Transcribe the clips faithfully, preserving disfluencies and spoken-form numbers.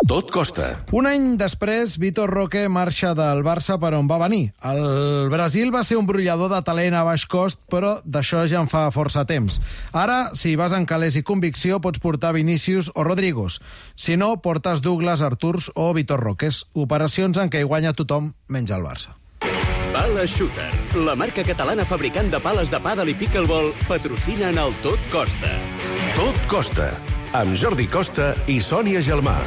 Tot costa. Un any després, Vitor Roque marxa del Barça per on va venir. El Brasil va ser un brollador de talent a baix cost, però d'això ja en fa força temps. Ara, si vas en calés i convicció, pots portar Vinícius o Rodrigos. Si no, portes Douglas, Arturs o Vitor Roques. Operacions en què hi guanya tothom, menys el Barça. Pala Shooter, la marca catalana fabricant de pales de pàdel i pickleball, patrocina en el Tot Costa. Tot costa. Amb Jordi Costa i Sònia Gelmà.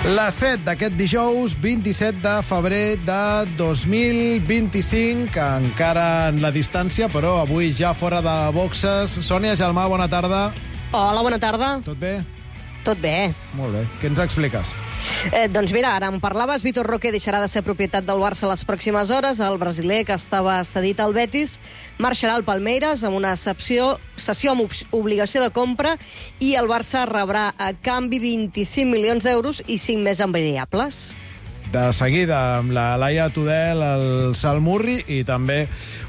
Les set d'aquest dijous, vint-i-set de febrer de dos mil vint-i-cinc, encara en la distància, però avui ja fora de boxes. Sònia Gelmà, bona tarda. Hola, bona tarda. Tot bé? Tot bé. Molt bé. Què ens expliques? Eh, doncs mira, ara en parlaves, Vitor Roque deixarà de ser propietat del Barça les pròximes hores. El brasiler, que estava cedit al Betis, marxarà al Palmeiras amb una sessió, sessió amb obligació de compra, i el Barça rebrà a canvi vint-i-cinc milions d'euros i cinc més en variables. De seguida, amb la Laia Tudel, el Salmurri i també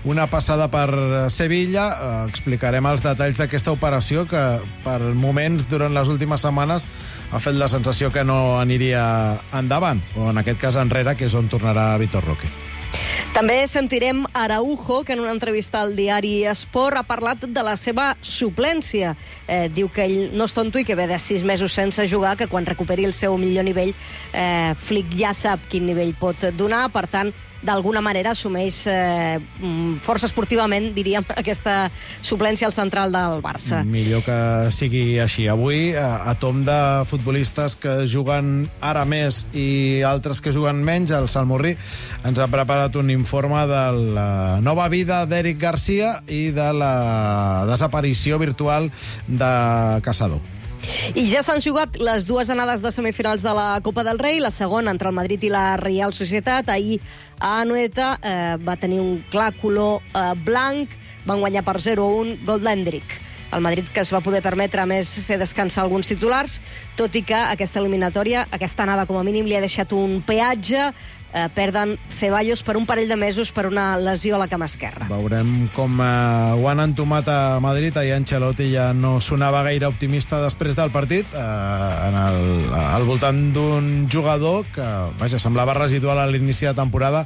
una passada per Sevilla. Eh, explicarem els detalls d'aquesta operació que, per moments, durant les últimes setmanes, ha fet la sensació que no aniria endavant, o en aquest cas enrere, que és on tornarà Vitor Roque. També sentirem Araujo, que en una entrevista al diari Esport ha parlat de la seva suplència. Eh, diu que ell no és tonto i que ve de sis mesos sense jugar, que quan recuperi el seu millor nivell, eh, Flick ja sap quin nivell pot donar, per tant, d'alguna manera assumeix eh, força esportivament, diríem, aquesta suplència al central del Barça. Millor que sigui així. Avui, a, a tom de futbolistes que juguen ara més i altres que juguen menys, el Salmurri ens ha preparat un informe de la nova vida d'Eric Garcia i de la desaparició virtual de Caçador. I ja s'han jugat les dues anades de semifinals de la Copa del Rei, la segona entre el Madrid i la Real Societat. Ahir a Anoeta eh, va tenir un clar color eh, blanc, van guanyar per zero a un gol d'Hendrick. El Madrid, que es va poder permetre, a més, fer descansar alguns titulars, tot i que aquesta eliminatòria, aquesta anada com a mínim, li ha deixat un peatge. Eh, perden Ceballos per un parell de mesos per una lesió a la cama esquerra. Veurem com eh, ho han entomat a Madrid. Ahir Ancelotti ja no sonava gaire optimista després del partit, eh, en el, al voltant d'un jugador que, vaja, semblava residual a l'inici de temporada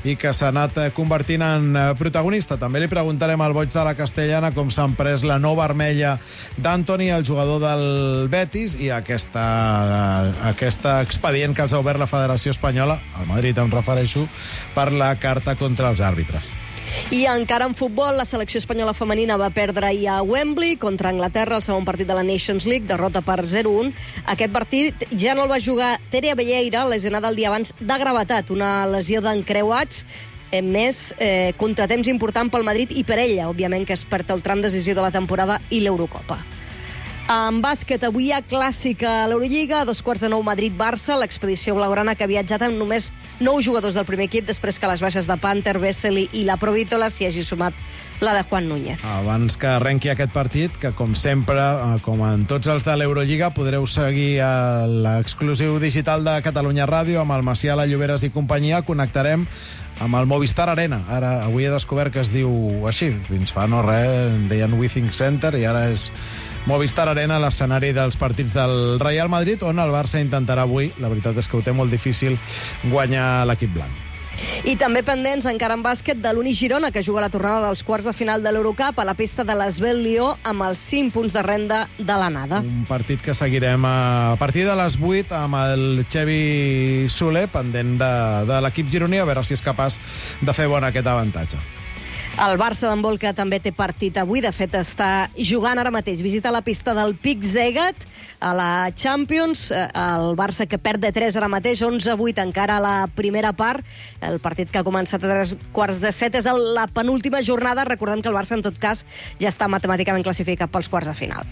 i que s'ha anat convertint en protagonista. També li preguntarem al boig de la Castellana com s'ha pres la no vermella d'Antoni, el jugador del Betis, i aquesta, eh, aquesta expedient que els ha obert la Federació Espanyola, al Madrid em refereixo, per la carta contra els àrbitres. I encara en futbol, la selecció espanyola femenina va perdre ahir a Wembley contra Anglaterra, el segon partit de la Nations League, derrota per zero a un. Aquest partit ja no el va jugar Tere Abelleira, lesionada el dia abans de gravetat, una lesió d'encreuats, eh, més eh, contratemps important pel Madrid i per ella, òbviament, que es perd el tram decisiu de la temporada i l'Eurocopa. En bàsquet, avui hi ha clàssic a l'Eurolliga, a dos quarts de nou Madrid-Barça, l'expedició blaugrana que ha viatjat amb només nou jugadors del primer equip després que les baixes de Panther, Vesely i la Provítola s'hi hagi sumat la de Juan Núñez. Abans que arrenqui aquest partit, que com sempre, com en tots els de l'Eurolliga, podreu seguir a l'exclusiu digital de Catalunya Ràdio amb el Macià, la Lloberes i companyia. Connectarem amb el Movistar Arena. Ara, avui he descobert que es diu així. Fins fa no res, en deien Withings Center, i ara és Movistar Arena, l'escenari dels partits del Real Madrid, on el Barça intentarà avui, la veritat és que ho té molt difícil, guanyar l'equip blanc. I també pendents, encara en bàsquet, de l'Uni Girona, que juga la tornada dels quarts de final de l'Eurocup a la pista de l'Esbel Lió amb els cinc punts de renda de l'anada. Un partit que seguirem a partir de les vuit amb el Xevi Soler, pendent de, de l'equip gironí, a veure si és capaç de fer bon aquest avantatge. El Barça d'handbol, que també té partit avui, de fet està jugant ara mateix. Visita la pista del Pic Zegat a la Champions. El Barça, que perd de tres ara mateix, onze a vuit encara a la primera part. El partit que ha començat a tres quarts de set és la penúltima jornada. Recordem que el Barça, en tot cas, ja està matemàticament classificat pels quarts de final.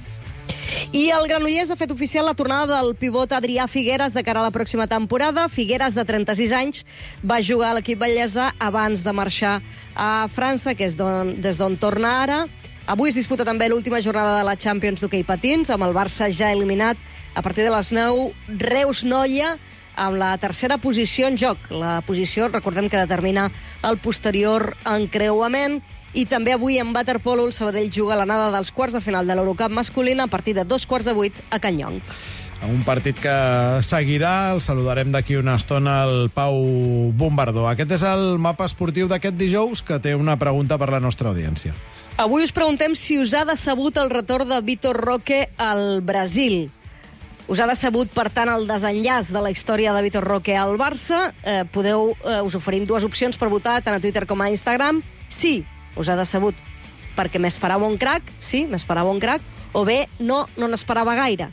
I el Granollers ha fet oficial la tornada del pivot Adrià Figueres de cara a la pròxima temporada. Figueres, de trenta-sis anys, va jugar a l'equip bellesa abans de marxar a França, que és d'on, des d'on torna ara. Avui es disputa també l'última jornada de la Champions d'hoquei patins, amb el Barça ja eliminat a partir de les nou. Reus-Noia amb la tercera posició en joc. La posició, recordem que determina el posterior encreuament. I també avui en waterpolo el Sabadell juga l'anada dels quarts de final de l'Eurocup masculina a partir de dos quarts de vuit a Can Llong. Un partit que seguirà, el saludarem d'aquí una estona el Pau Bombardó. Aquest és el mapa esportiu d'aquest dijous, que té una pregunta per la nostra audiència. Avui us preguntem si us ha decebut el retorn de Vitor Roque al Brasil. Us ha decebut, per tant, el desenllaç de la història de Vitor Roque al Barça. Eh, podeu, eh, us oferim dues opcions per votar, tant a Twitter com a Instagram. Sí, us ha decebut perquè m'esperava un crac, sí, m'esperava un crac, o bé, no, no n'esperava gaire.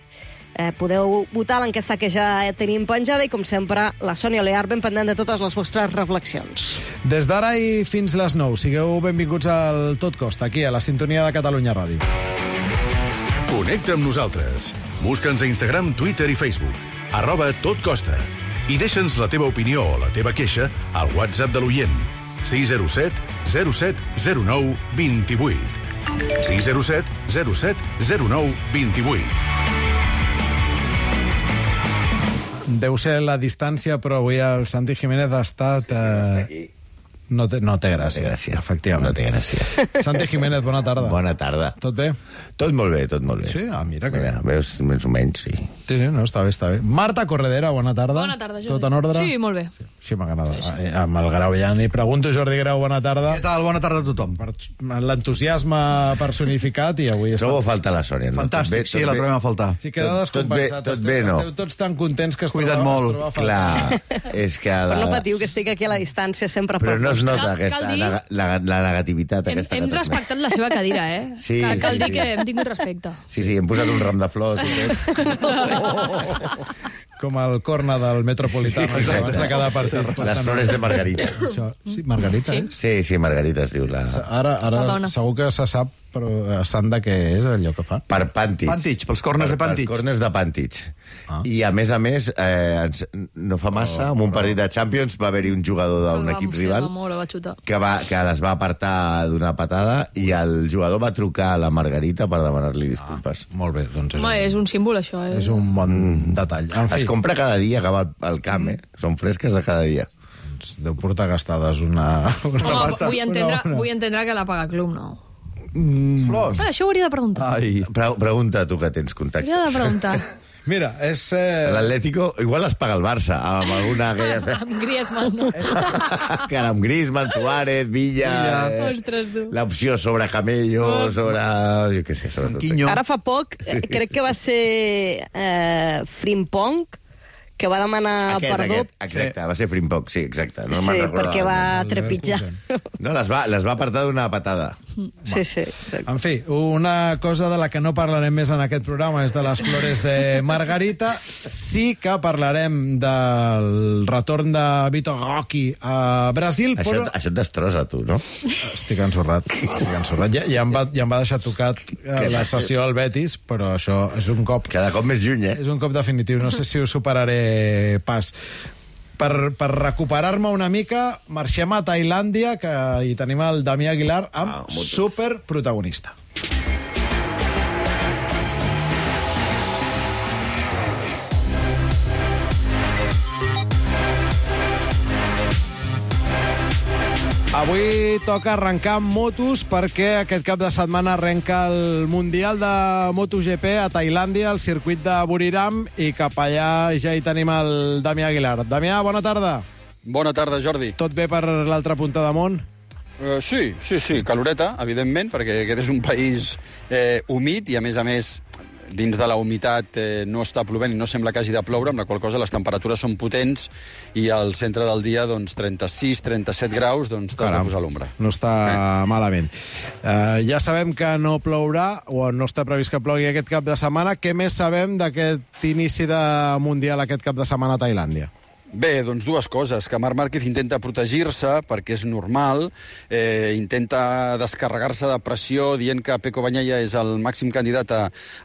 Eh, podeu votar l'enquesta que ja tenim penjada i, com sempre, la Sònia Lear ben pendent de totes les vostres reflexions. Des d'ara i fins les nou, sigueu benvinguts al Tot Costa, aquí a la sintonia de Catalunya Ràdio. Connecta amb nosaltres. Busca'ns a Instagram, Twitter i Facebook. Arroba Tot Costa. I deixa'ns la teva opinió o la teva queixa al WhatsApp de l'oient. sis zero set zero set zero nou dos vuit. sis zero set zero set zero nou dos vuit. Deu ser la distància, però avui el Santi Jiménez ha estat... Eh... No té, no té gràcia. No té gràcia. Efectivament. No té gràcia. Santi Jiménez, bona tarda. Bona tarda. Tot bé? Tot molt bé, tot molt bé. Sí? Ah, mira que mira, bé. veus, més o menys, sí. Sí, sí, no, està bé, està bé. Marta Corredera, bona tarda. Bona tarda, Jordi. Tot en ordre? Sí, molt bé. Sí, sí m'agrada. Sí, sí. Amb el Grau ja n'hi pregunto. Jordi Grau, bona tarda. Què tal? Bona tarda a tothom. Per l'entusiasme personificat i avui... Trobo a faltar la Sònia. No? Fantàstic, bé, sí, la trobem a faltar. Sí, queda Tot- tot bé, descompensat. tot Esteu- bé, no. Esteu tots tan contents que es Cuida't troba, molt. es troba a faltar. Clar, és que... La... Però no patiu que estic aquí a la distància sempre Però per no es costat. nota Cal- aquesta, cal dir- la, la, la negativitat Hem, aquesta. hem que transmet. respectat la seva cadira, eh? Sí, cal, cal sí, dir sí. que hem tingut respecte. Sí, sí, hem posat un ram de flors. I tot. Com el corna del Metropolitano, Sí, abans de cada partit. Les flores de Margarita. Això, sí, Margarita, Sí. eh? Sí, sí, Margarita es diu la... Ara, La ara dona. segur que se sap, però eh, sant de què és allò que fa. Per Pantich. Pantich, pels corners de Pantich. Pels corners de Pantich. Ah. I, a més a més, eh, ens, no fa massa, en un partit de Champions va haver-hi un jugador d'un Va equip mossegar rival molt, va xutar. que, va, que les va apartar d'una patada i el jugador va trucar a la Margarita per demanar-li disculpes. Molt bé, doncs és, Home, és un símbol, això. Eh? és un bon detall. En fi, Es compra cada dia que va al, al camp, eh? Són fresques de cada dia. doncs deu portar gastades una... una Home, pasta, vull entendre, una- una- vull entendre que la paga club, no? Flors. Ah, això ho hauria de preguntar. Ai. Pre pregunta tu que tens contactes. Hauria de preguntar. Mira, és... Eh... L'Atlético igual les paga el Barça, amb alguna aquella... Amb Griezmann, no? que ara amb Griezmann, Suárez, Villa... Eh, Ostres, tu. L'opció sobre Camello, sobre... Jo què sé, sobre tot. Quinyo. Ara fa poc, eh, crec que va ser eh, Frimpong, que va demanar Aquest, perdó. aquest, exacte, va ser Frimpong, sí, exacte. No Sí, me'n recordava. perquè va el trepitjar. No, les va, les va apartar d'una patada. Sí, sí. exacte. En fi, una cosa de la que no parlarem més en aquest programa és de les flores de Margarita. Sí que parlarem del retorn de Vitor Roque a Brasil, Això, però... això et destrossa, tu, no? Estic ensorrat, estic ensorrat. Ja, ja, em va, ja em va deixar tocat eh, la sessió al Betis, però això és un cop... Cada cop més lluny, eh? És un cop definitiu, no sé si ho superaré pas. Per, per recuperar-me una mica, marxem a Tailàndia, que hi tenim el Damià Aguilar amb Ah, molt. superprotagonista. Avui toca arrencar amb motos perquè aquest cap de setmana arrenca el Mundial de MotoGP a Tailàndia, al circuit de Buriram, i cap allà ja hi tenim el Damià Aguilar. Damià, bona tarda. Bona tarda, Jordi. Tot bé per l'altra punta de món? Uh, sí, sí, sí, caloreta, evidentment, perquè aquest és un país eh, humit i, a més a més, dins de la humitat eh, no està plovent i no sembla que hagi de ploure, amb la qual cosa les temperatures són potents i al centre del dia, doncs, trenta-sis trenta-set graus, doncs t'has de posar a l'ombra. No està eh. malament. Uh, ja sabem que no plourà, o no està previst que plogui aquest cap de setmana. Què més sabem d'aquest inici de Mundial aquest cap de setmana a Tailàndia? Bé, doncs dues coses. Que Marc Márquez intenta protegir-se, perquè és normal, eh, intenta descarregar-se de pressió dient que Pecco Bagnaia és el màxim candidat a,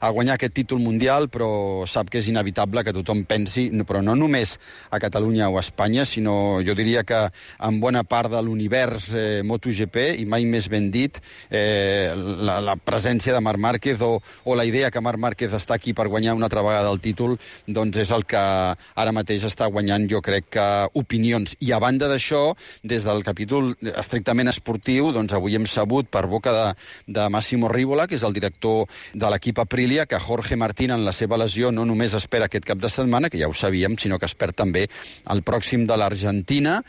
a guanyar aquest títol mundial, però sap que és inevitable que tothom pensi, però no només a Catalunya o a Espanya, sinó jo diria que en bona part de l'univers eh, MotoGP, i mai més ben dit, eh, la, la presència de Marc Márquez o, o la idea que Marc Márquez està aquí per guanyar una altra vegada el títol, doncs és el que ara mateix està guanyant, jo crec que opinions. I a banda d'això, des del capítol estrictament esportiu, doncs avui hem sabut per boca de, de Massimo Rivola, que és el director de l'equip Aprilia, que Jorge Martín en la seva lesió no només espera aquest cap de setmana, que ja ho sabíem, sinó que espera també el pròxim de l'Argentina,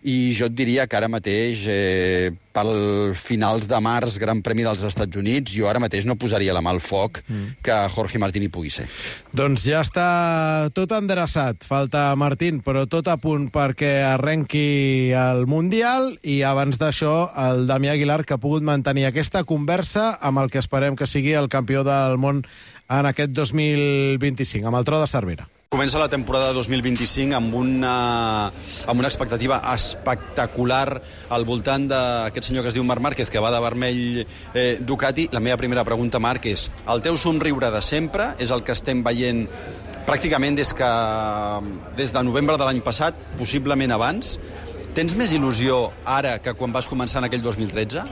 i jo et diria que ara mateix, eh, pel finals de març, Gran Premi dels Estats Units, jo ara mateix no posaria la mà al foc mm. que Jorge Martín hi pugui ser. Doncs ja està tot endreçat. Falta Martín, però tot a punt perquè arrenqui el Mundial, i abans d'això el Damià Aguilar, que ha pogut mantenir aquesta conversa amb el que esperem que sigui el campió del món en aquest dos mil vint-i-cinc, amb el Tro de Cervera. Comença la temporada dos mil vint-i-cinc amb una, amb una expectativa espectacular al voltant d'aquest senyor que es diu Marc Márquez, que va de vermell eh, Ducati. La meva primera pregunta, Marc, és: el teu somriure de sempre és el que estem veient pràcticament des, que, des de novembre de l'any passat, possiblement abans? Tens més il·lusió ara que quan vas començar en aquell dos mil tretze?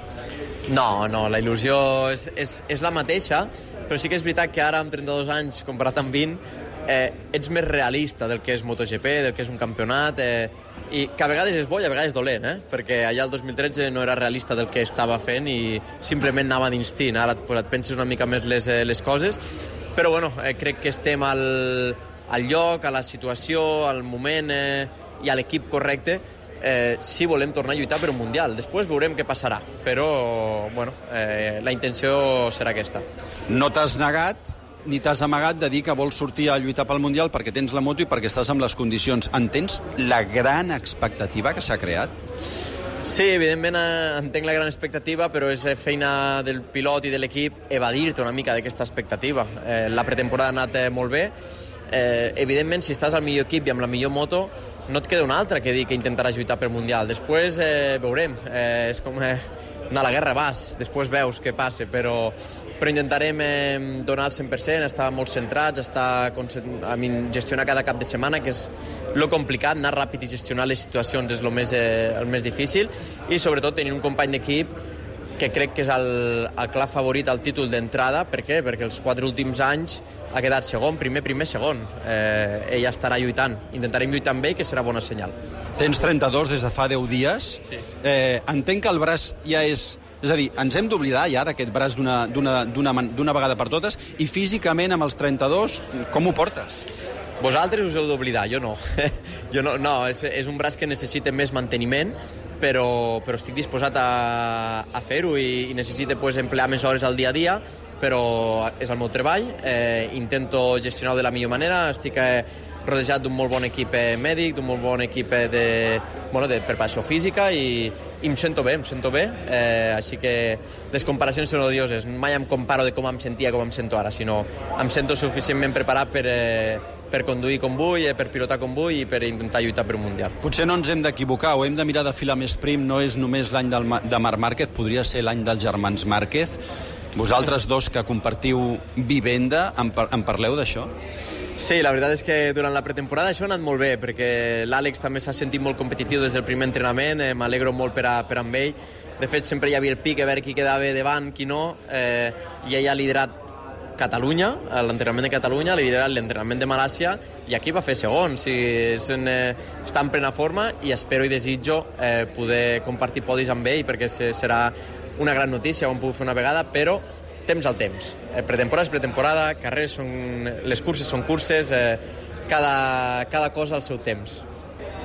No, no, la il·lusió és, és, és la mateixa, però sí que és veritat que ara, amb trenta-dos anys, comparat amb vint, eh, ets més realista del que és MotoGP, del que és un campionat, eh, i que a vegades és bo i a vegades dolent, eh? Perquè allà el dos mil tretze no era realista del que estava fent i simplement anava d'instint. Ara pues, et penses una mica més les, les coses, però bueno, eh, crec que estem al, al lloc, a la situació, al moment eh, i a l'equip correcte, eh, si volem tornar a lluitar per un Mundial. Després veurem què passarà, però bueno, eh, la intenció serà aquesta. No t'has negat ni t'has amagat de dir que vols sortir a lluitar pel Mundial perquè tens la moto i perquè estàs amb les condicions. Entens la gran expectativa que s'ha creat? Sí, evidentment eh, entenc la gran expectativa, però és feina del pilot i de l'equip evadir-te una mica d'aquesta expectativa. Eh, la pretemporada ha anat eh, molt bé. Eh, evidentment, si estàs al millor equip i amb la millor moto, no et queda una altra que dir que intentaràs lluitar per Mundial. Després eh, veurem. Eh, és com eh, anar a la guerra, vas, després veus què passa, però, però intentarem eh, donar el cent per cent, estar molt centrats, estar a mi, gestionar cada cap de setmana, que és lo complicat, anar ràpid i gestionar les situacions és el més, eh, el més difícil, i sobretot tenir un company d'equip que crec que és el, el clar favorit al títol d'entrada. Per què? Perquè els quatre últims anys ha quedat segon, primer, primer, segon. Eh, ell estarà lluitant. Intentarem lluitar amb ell, que serà bona senyal. Tens trenta-dos des de fa deu dies. Sí. Eh, entenc que el braç ja és... És a dir, ens hem d'oblidar ja d'aquest braç d'una vegada per totes, i físicament amb els trenta-dos, com ho portes? Vosaltres us heu d'oblidar, jo no. jo no, no és, és un braç que necessita més manteniment, però, però estic disposat a, a fer-ho i, i necessito pues, emplear més hores al dia a dia, però és el meu treball, eh, intento gestionar-ho de la millor manera, estic eh, rodejat d'un molt bon equip eh, mèdic, d'un molt bon equip eh, de, bueno, de preparació física i, i em sento bé, em sento bé, eh, així que les comparacions són odioses, mai em comparo de com em sentia com em sento ara, sinó em sento suficientment preparat per... Eh, per conduir com vull, per pilotar com vull i per intentar lluitar per un Mundial. Potser no ens hem d'equivocar o hem de mirar de filar més prim, no és només l'any de Marc Márquez, podria ser l'any dels germans Márquez. Vosaltres dos que compartiu vivenda, en, par en parleu d'això? Sí, la veritat és que durant la pretemporada això ha anat molt bé, perquè l'Àlex també s'ha sentit molt competitiu des del primer entrenament, eh, m'alegro molt per, a, per amb ell. De fet, sempre hi havia el pic a veure qui quedava davant, qui no, eh, i ell ha liderat Catalunya, l'entrenament de Catalunya, li diré l'entrenament de Malàcia, i aquí va fer segon. Sí, en, eh, està en plena forma i espero i desitjo eh, poder compartir podis amb ell, perquè serà una gran notícia, ho hem pogut fer una vegada, però temps al temps. Eh, pretemporada és pretemporada, carrers són... les curses són curses, eh, cada, cada cosa al seu temps.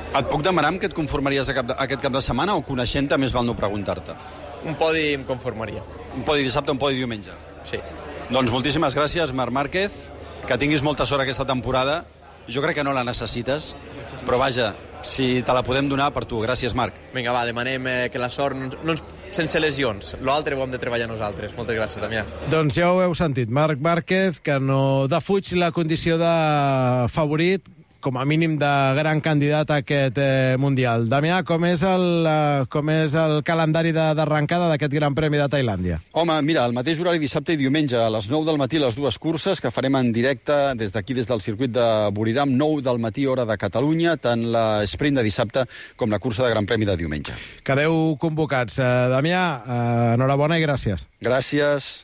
Et puc demanar amb què et conformaries aquest cap de setmana o coneixent-te més val no preguntar-te? Un podi em conformaria. Un podi dissabte, un podi diumenge? Sí. Doncs moltíssimes gràcies, Marc Márquez, que tinguis molta sort aquesta temporada. Jo crec que no la necessites, però vaja, si te la podem donar per tu. Gràcies, Marc. Vinga, va, demanem eh, que la sort no ens, no ens, sense lesions. L'altre ho hem de treballar nosaltres. Moltes gràcies, Damià. Doncs ja ho heu sentit. Marc Márquez, que no defuig la condició de favorit, com a mínim, de gran candidat a aquest eh, Mundial. Damià, com és el, eh, com és el calendari de- d'arrencada d'aquest Gran Premi de Tailàndia? Home, mira, el mateix horari dissabte i diumenge, a les nou del matí, les dues curses que farem en directe des d'aquí, des del circuit de Buriram, nou del matí, hora de Catalunya, tant l'esprint de dissabte com la cursa de Gran Premi de diumenge. Quedeu convocats. Eh, Damià, eh, enhorabona i gràcies. Gràcies.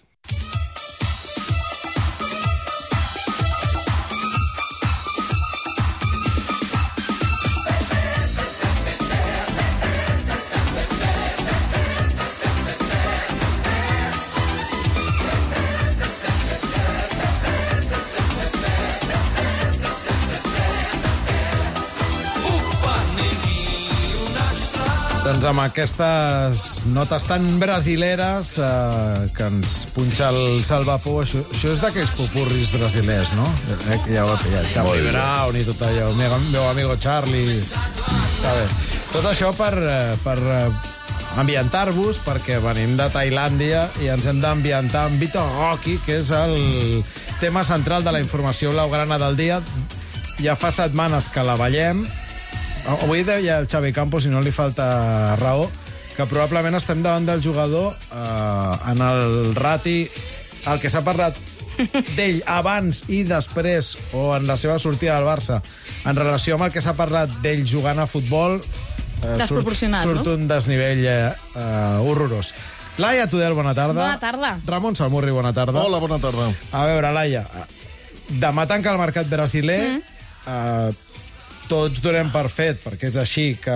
Doncs amb aquestes notes tan brasileres eh, que ens punxa el Salvapou, això, això és d'aquells popurris brasilers, no? Eh, que ja ho he pillat. Charlie Brown i tot allò, el meu, meu amigo Charlie. Està bé. Tot això per, eh, per eh, ambientar-vos, perquè venim de Tailàndia i ens hem d'ambientar amb Vitor Roque, que és el tema central de la informació blaugrana del dia. Ja fa setmanes que la veiem. Avui deia el Xavi Campos, i no li falta raó, que probablement estem davant del jugador eh, en el rati, el que s'ha parlat d'ell abans i després, o en la seva sortida del Barça, en relació amb el que s'ha parlat d'ell jugant a futbol, eh, Desproporcionat, surt, surt no? un desnivell eh, eh, horrorós. Laia Tudel, bona tarda. Bona tarda. Ramon Salmurri, bona tarda. Hola, bona tarda. A veure, Laia, demà tanca el mercat brasiler, mm. eh, tots donem per fet, perquè és així, que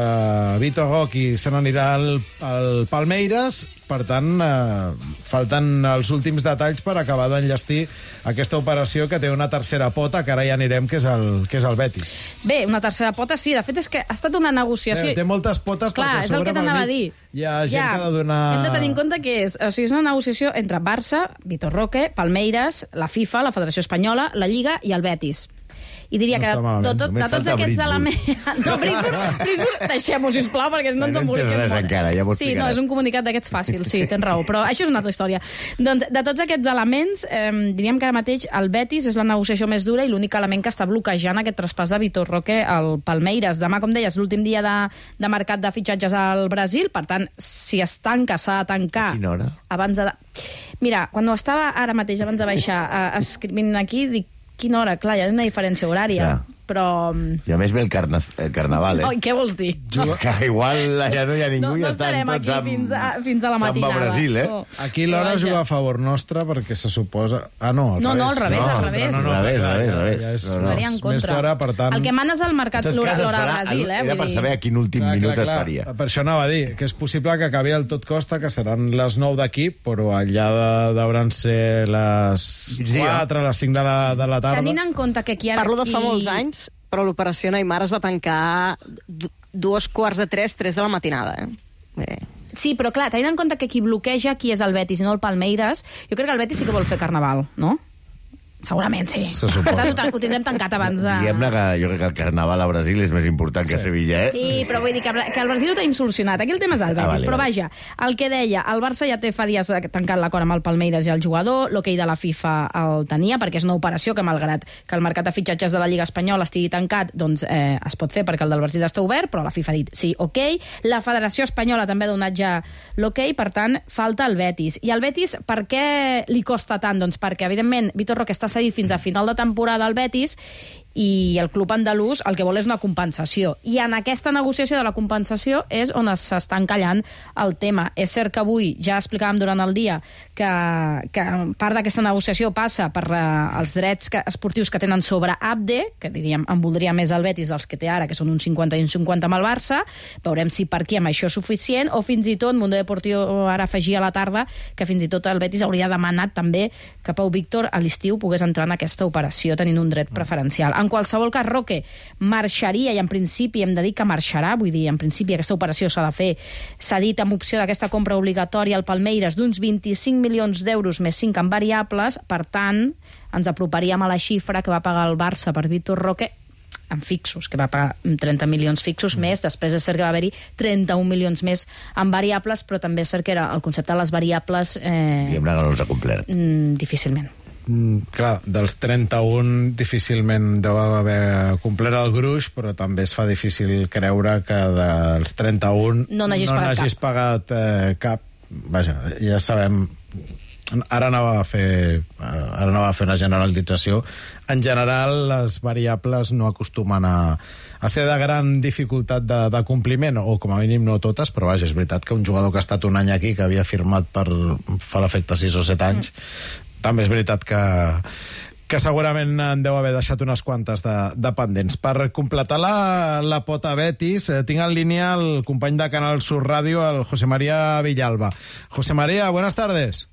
Vitor Roque se n'anirà al, al Palmeiras, per tant, eh, falten els últims detalls per acabar d'enllestir aquesta operació que té una tercera pota, que ara ja anirem, que és el, que és el Betis. Bé, una tercera pota, sí. De fet, és que ha estat una negociació... Té, té moltes potes, Clar, perquè és el sobre que t'anava a pel dir. mig hi ha gent ja, que ha de donar... Hem de tenir en compte que és, o sigui, és una negociació entre Barça, Vitor Roque, Palmeiras, la FIFA, la Federació Espanyola, la Lliga i el Betis. I diria No que està de, malament. de, tot, Només de tots falta aquests Brisbane. elements... No, Brisbane, Brisbane deixem-ho, sisplau, perquè no ens No emboliquem entens res molt. encara, ja m'ho Sí, no, explicaràs. és un comunicat d'aquests fàcils, sí, tens raó, però això és una altra història. Doncs, de tots aquests elements, eh, diríem que ara mateix el Betis és la negociació més dura i l'únic element que està bloquejant aquest traspàs de Vitor Roque al Palmeiras. Demà, com deies, l'últim dia de, de mercat de fitxatges al Brasil, per tant, si es tanca, s'ha de tancar... A quina hora? Abans de... Mira, quan estava ara mateix, abans de baixar, eh, escrivint aquí, dic, quina hora? Clar, hi ha una diferència horària. Clar. Però... I a més ve el, carna, el carnaval, eh? Oi, què vols dir? Juga... Que igual ja no hi ha ningú No, i no estan estarem tots aquí amb... fins a, fins a la matinada. Samba Brasil, eh? No. Aquí l'hora Vaja. juga a favor nostre, perquè se suposa... Ah, no, al No, no, al revés, al No, revés. No, no, Al revés, ja- al revés, ja- al revés. ja és No, no. Faria en més contra. d'hora, per tant... El que mana és el En mercat tot l'hora cas, es l'hora farà- a Brasil, eh? Era Vull per dir... saber a quin últim minut es faria. Per això anava a dir, que és possible que acabi el tot costa, que seran les nou d'aquí, però allà de- deuen ser les Migdia. quatre, les cinc de la, de la tarda. Tenint en compte que aquí ara... Parlo de fa aquí- molts anys, però l'operació Neymar es va tancar d- dos quarts de tres, tres de la matinada. Eh? Bé. Sí, però clar, tenint en compte que qui bloqueja qui és el Betis i no el Palmeiras, jo crec que el Betis sí que vol fer carnaval, no? Segurament, sí. Se suposa. Per tant, ho, tan- ho tindrem tancat abans de... Diguem-ne que jo crec que el carnaval a Brasil és més important que a Sevilla, eh? Sí, però vull dir que, que el Brasil ho tenim solucionat. Aquí el tema és el Betis. Ah, vale, però vale. vaja, el que deia, el Barça ja té fa dies tancat l'acord amb el Palmeiras i el jugador, l'hoquei de la FIFA el tenia, perquè és una operació que, malgrat que el mercat de fitxatges de la Lliga Espanyola estigui tancat, doncs eh, es pot fer perquè el del Brasil està obert, però la FIFA ha dit sí, ok. La Federació Espanyola també ha donat ja l'hoquei, per tant, falta el Betis. I el Betis, per què li costa tant? Doncs perquè, evidentment, Vitor Roque està cedit fins a final de temporada al Betis i el club andalús el que vol és una compensació. I en aquesta negociació de la compensació és on s'està encallant el tema. És cert que avui ja explicàvem durant el dia que, que part d'aquesta negociació passa per uh, els drets que, esportius que tenen sobre Abde, que diríem en voldria més el Betis dels que té ara, que són un cinquanta i un cinquanta amb el Barça. Veurem si per aquí amb això és suficient, o fins i tot Mundo Deportivo ara afegia a la tarda que fins i tot el Betis hauria demanat també que Pau Víctor a l'estiu pogués entrar en aquesta operació tenint un dret preferencial. En qualsevol cas, Roque marxaria, i en principi hem de dir que marxarà, vull dir, en principi aquesta operació s'ha de fer, s'ha dit amb opció d'aquesta compra obligatòria al Palmeiras d'uns vint-i-cinc milions d'euros més cinc en variables, per tant, ens aproparíem a la xifra que va pagar el Barça per Vitor Roque en fixos, que va pagar trenta milions fixos més, després és cert que va haver-hi trenta-un milions més en variables, però també és cert que era el concepte de les variables... Eh, Diguem-ne que no els ha complert. mm, difícilment. clar, dels trenta-un difícilment deu haver complert el gruix, però també es fa difícil creure que dels trenta-un no n'hagis no pagat n'hagis cap. pagat eh, cap. Vaja, ja sabem... Ara anava a fer ara anava a fer una generalització. En general, les variables no acostumen a, a ser de gran dificultat de, de compliment, o com a mínim no totes, però vaja, és veritat que un jugador que ha estat un any aquí, que havia firmat per fa l'efecte sis o set anys, mm. també és veritat que que segurament en deu haver deixat unes quantes de, de pendents. Per completar la, la pota Betis, eh, tinc en línia el company de Canal Sur Radio, el José María Villalba. José María, buenas tardes.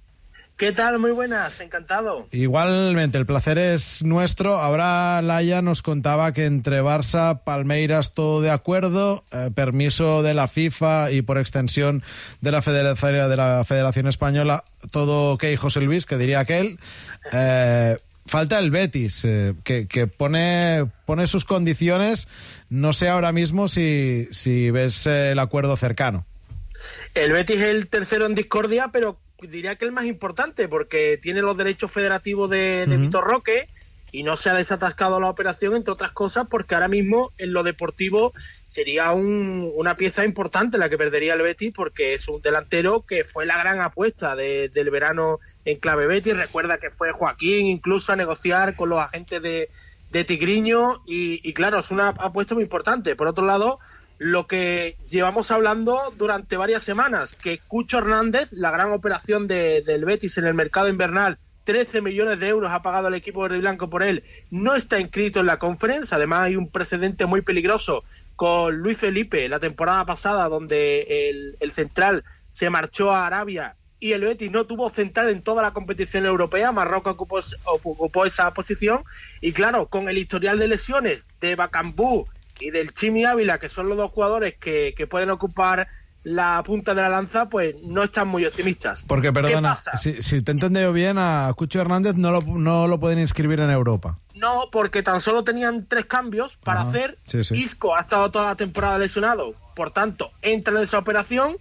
¿Qué tal? Muy buenas, encantado. Igualmente, el placer es nuestro. Ahora Laia nos contaba que entre Barça, Palmeiras, todo de acuerdo, eh, permiso de la FIFA y por extensión de la Federación, de la Federación Española, todo ok, José Luis, que diría aquel. Eh, falta el Betis, eh, que, que pone, pone sus condiciones. No sé ahora mismo si, si ves eh, el acuerdo cercano. El Betis es el tercero en discordia, pero diría que el más importante, porque tiene los derechos federativos de, de uh-huh. Vitor Roque y no se ha desatascado la operación, entre otras cosas, porque ahora mismo en lo deportivo sería un, una pieza importante la que perdería el Betis, porque es un delantero que fue la gran apuesta de, del verano en clave Betis. Recuerda que fue Joaquín incluso a negociar con los agentes de, de Tigriño y, y claro, es una apuesta muy importante. Por otro lado, lo que llevamos hablando durante varias semanas, que Cucho Hernández, la gran operación de, del Betis en el mercado invernal, trece millones de euros ha pagado el equipo verde y blanco por él, no está inscrito en la Conference. Además hay un precedente muy peligroso con Luis Felipe la temporada pasada, donde el, el central se marchó a Arabia y el Betis no tuvo central en toda la competición europea. Marruecos ocupó, ocupó esa posición y claro, con el historial de lesiones de Bacambú y del Chimi Ávila, que son los dos jugadores que, que pueden ocupar la punta de la lanza, pues no están muy optimistas. Porque, perdona, si, si te he entendido bien, a Cucho Hernández no lo, no lo pueden inscribir en Europa. No, porque tan solo tenían tres cambios para Ajá, hacer. Sí, sí. Isco ha estado toda la temporada lesionado, por tanto, entra en esa operación.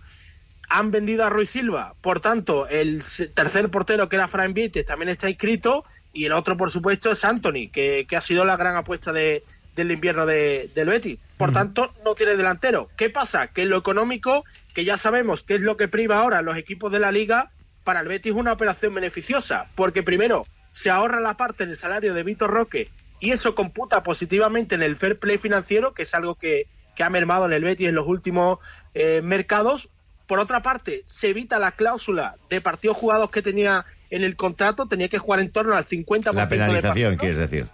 Han vendido a Rui Silva, por tanto, el tercer portero, que era Fran Vites, también está inscrito, y el otro, por supuesto, es Anthony, que, que ha sido la gran apuesta de del invierno de, del Betis. Por uh-huh. tanto, no tiene delantero. ¿Qué pasa? Que en lo económico, que ya sabemos que es lo que priva ahora los equipos de la Liga, para el Betis es una operación beneficiosa, porque primero se ahorra la parte del salario de Vitor Roque y eso computa positivamente en el fair play financiero, que es algo que, que ha mermado en el Betis en los últimos eh, mercados. Por otra parte, se evita la cláusula de partidos jugados que tenía en el contrato, tenía que jugar en torno al cincuenta por ciento. La penalización, de quieres decir.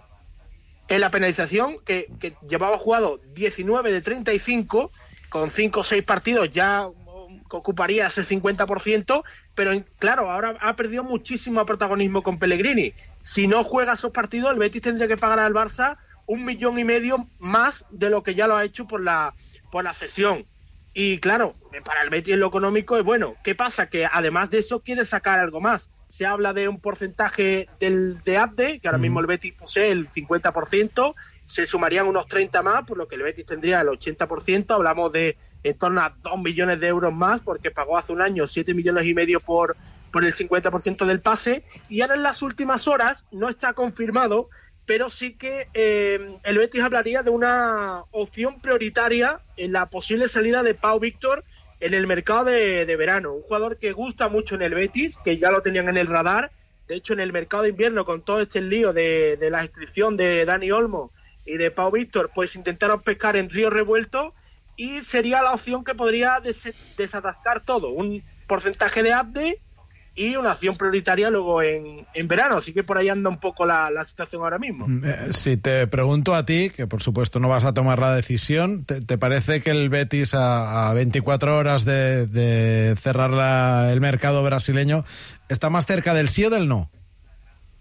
En la penalización, que, que llevaba jugado diecinueve de treinta y cinco, con cinco o seis partidos ya ocuparía ese cincuenta por ciento, pero claro, ahora ha perdido muchísimo protagonismo con Pellegrini. Si no juega esos partidos, el Betis tendría que pagar al Barça un millón y medio más de lo que ya lo ha hecho por la, por la cesión. Y claro, para el Betis en lo económico es bueno. ¿Qué pasa? Que además de eso quiere sacar algo más. Se habla de un porcentaje del de Abde, que ahora mismo el Betis posee el cincuenta por ciento, se sumarían unos treinta más, por lo que el Betis tendría el ochenta por ciento. Hablamos de en torno a dos millones de euros más, porque pagó hace un año siete millones y medio por, por el cincuenta por ciento del pase. Y ahora en las últimas horas, no está confirmado, pero sí que eh, el Betis hablaría de una opción prioritaria en la posible salida de Pau Víctor en el mercado de, de verano. Un jugador que gusta mucho en el Betis, que ya lo tenían en el radar. De hecho, en el mercado de invierno, con todo este lío de, de la inscripción de Dani Olmo y de Pau Víctor, pues intentaron pescar en río revuelto y sería la opción que podría des- desatascar todo. Un porcentaje de Abde y una acción prioritaria luego en, en verano. Así que por ahí anda un poco la, la situación ahora mismo. Eh, si te pregunto a ti, que por supuesto no vas a tomar la decisión, ¿te, te parece que el Betis a, a veinticuatro horas de, de cerrar la, el mercado brasileño está más cerca del sí o del no?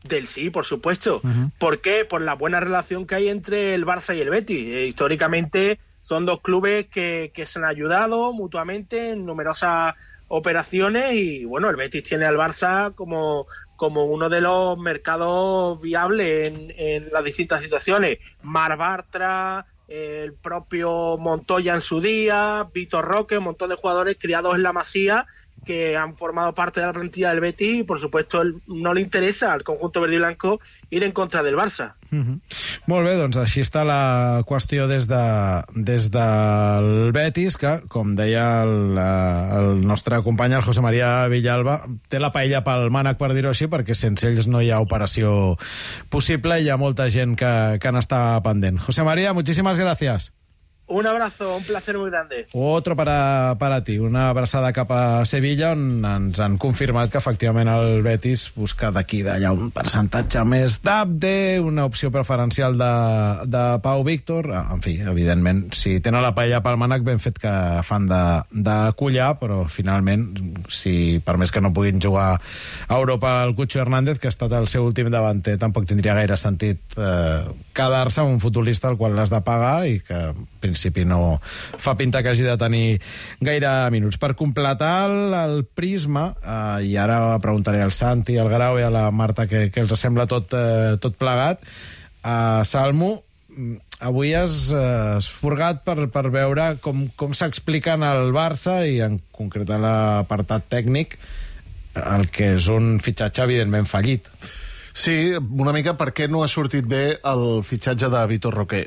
Del sí, por supuesto. Uh-huh. ¿Por qué? Por la buena relación que hay entre el Barça y el Betis. Eh, históricamente son dos clubes que, que se han ayudado mutuamente en numerosas operaciones y bueno, el Betis tiene al Barça como, como uno de los mercados viables en, en las distintas situaciones. Mar Bartra, eh, el propio Montoya en su día, Vitor Roque, un montón de jugadores criados en la Masía que han formado parte de la plantilla del Betis y, por supuesto, el, no le interesa al conjunto verde y blanco ir en contra del Barça. Mm-hmm. Molt bé, doncs així està la qüestió des, de, des del Betis, que, com deia el, el nostre company, el José María Villalba, té la paella pel mànec, per dir-ho així, perquè sense ells no hi ha operació possible i hi ha molta gent que, que n'està pendent. José María, muchísimas gracias. Un abrazo, un placer muy grande. Otro para, para ti, una abraçada cap a Sevilla, on ens han confirmat que efectivament el Betis busca d'aquí d'allà un percentatge més d'Abde, una opció preferencial de, de Pau Víctor. En fi, evidentment, si tenen la paella pel mànec, ben fet que fan de, de collar, però finalment, si per més que no puguin jugar a Europa el Cucho Hernández, que ha estat el seu últim davanter, tampoc tindria gaire sentit eh, quedar-se amb un futbolista al qual l'has de pagar i que principi no fa pinta que hagi de tenir gaire minuts. Per completar el, el prisma, eh, i ara preguntaré al Santi, al Grau i a la Marta què els sembla tot, eh, tot plegat, eh, Salmo, avui has eh, esforgat per, per veure com, com s'explica en el Barça i en concret a l'apartat tècnic el que és un fitxatge evidentment fallit. Sí, una mica per què no ha sortit bé el fitxatge de Vitor Roque.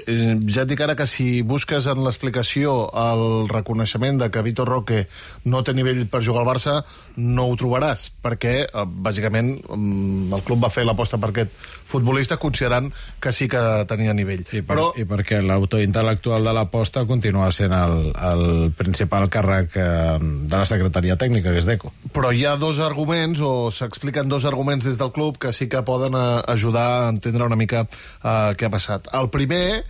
Ja et dic ara que si busques en l'explicació el reconeixement de que Vitor Roque no té nivell per jugar al Barça, no ho trobaràs, perquè, bàsicament, el club va fer l'aposta per aquest futbolista considerant que sí que tenia nivell. I, per, Però... i perquè l'autor intel·lectual de l'aposta continua sent el, el principal càrrec de la secretaria tècnica, que és Deco. Però hi ha dos arguments, o s'expliquen dos arguments des del club que sí que poden ajudar a entendre una mica uh, què ha passat. El primer,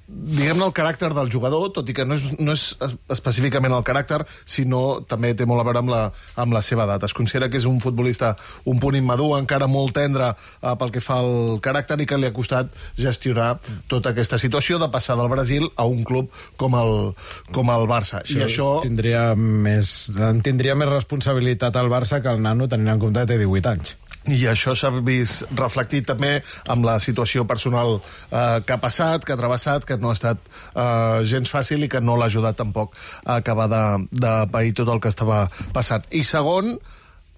diguem-ne, el caràcter del jugador, tot i que no és, no és específicament el caràcter, sinó també té molt a veure amb la, amb la seva edat. Es considera que és un futbolista un punt immadur, encara molt tendre uh, pel que fa al caràcter, i que li ha costat gestionar tota aquesta situació de passar del Brasil a un club com el, com el Barça. Això I això tindria més, tindria més responsabilitat al Barça que el nano, tenint en compte que té divuit anys. I això s'ha vist reflectit també amb la situació personal eh, que ha passat, que ha travessat, que no ha estat eh, gens fàcil i que no l'ha ajudat tampoc a acabar de, de pair tot el que estava passant. I segon,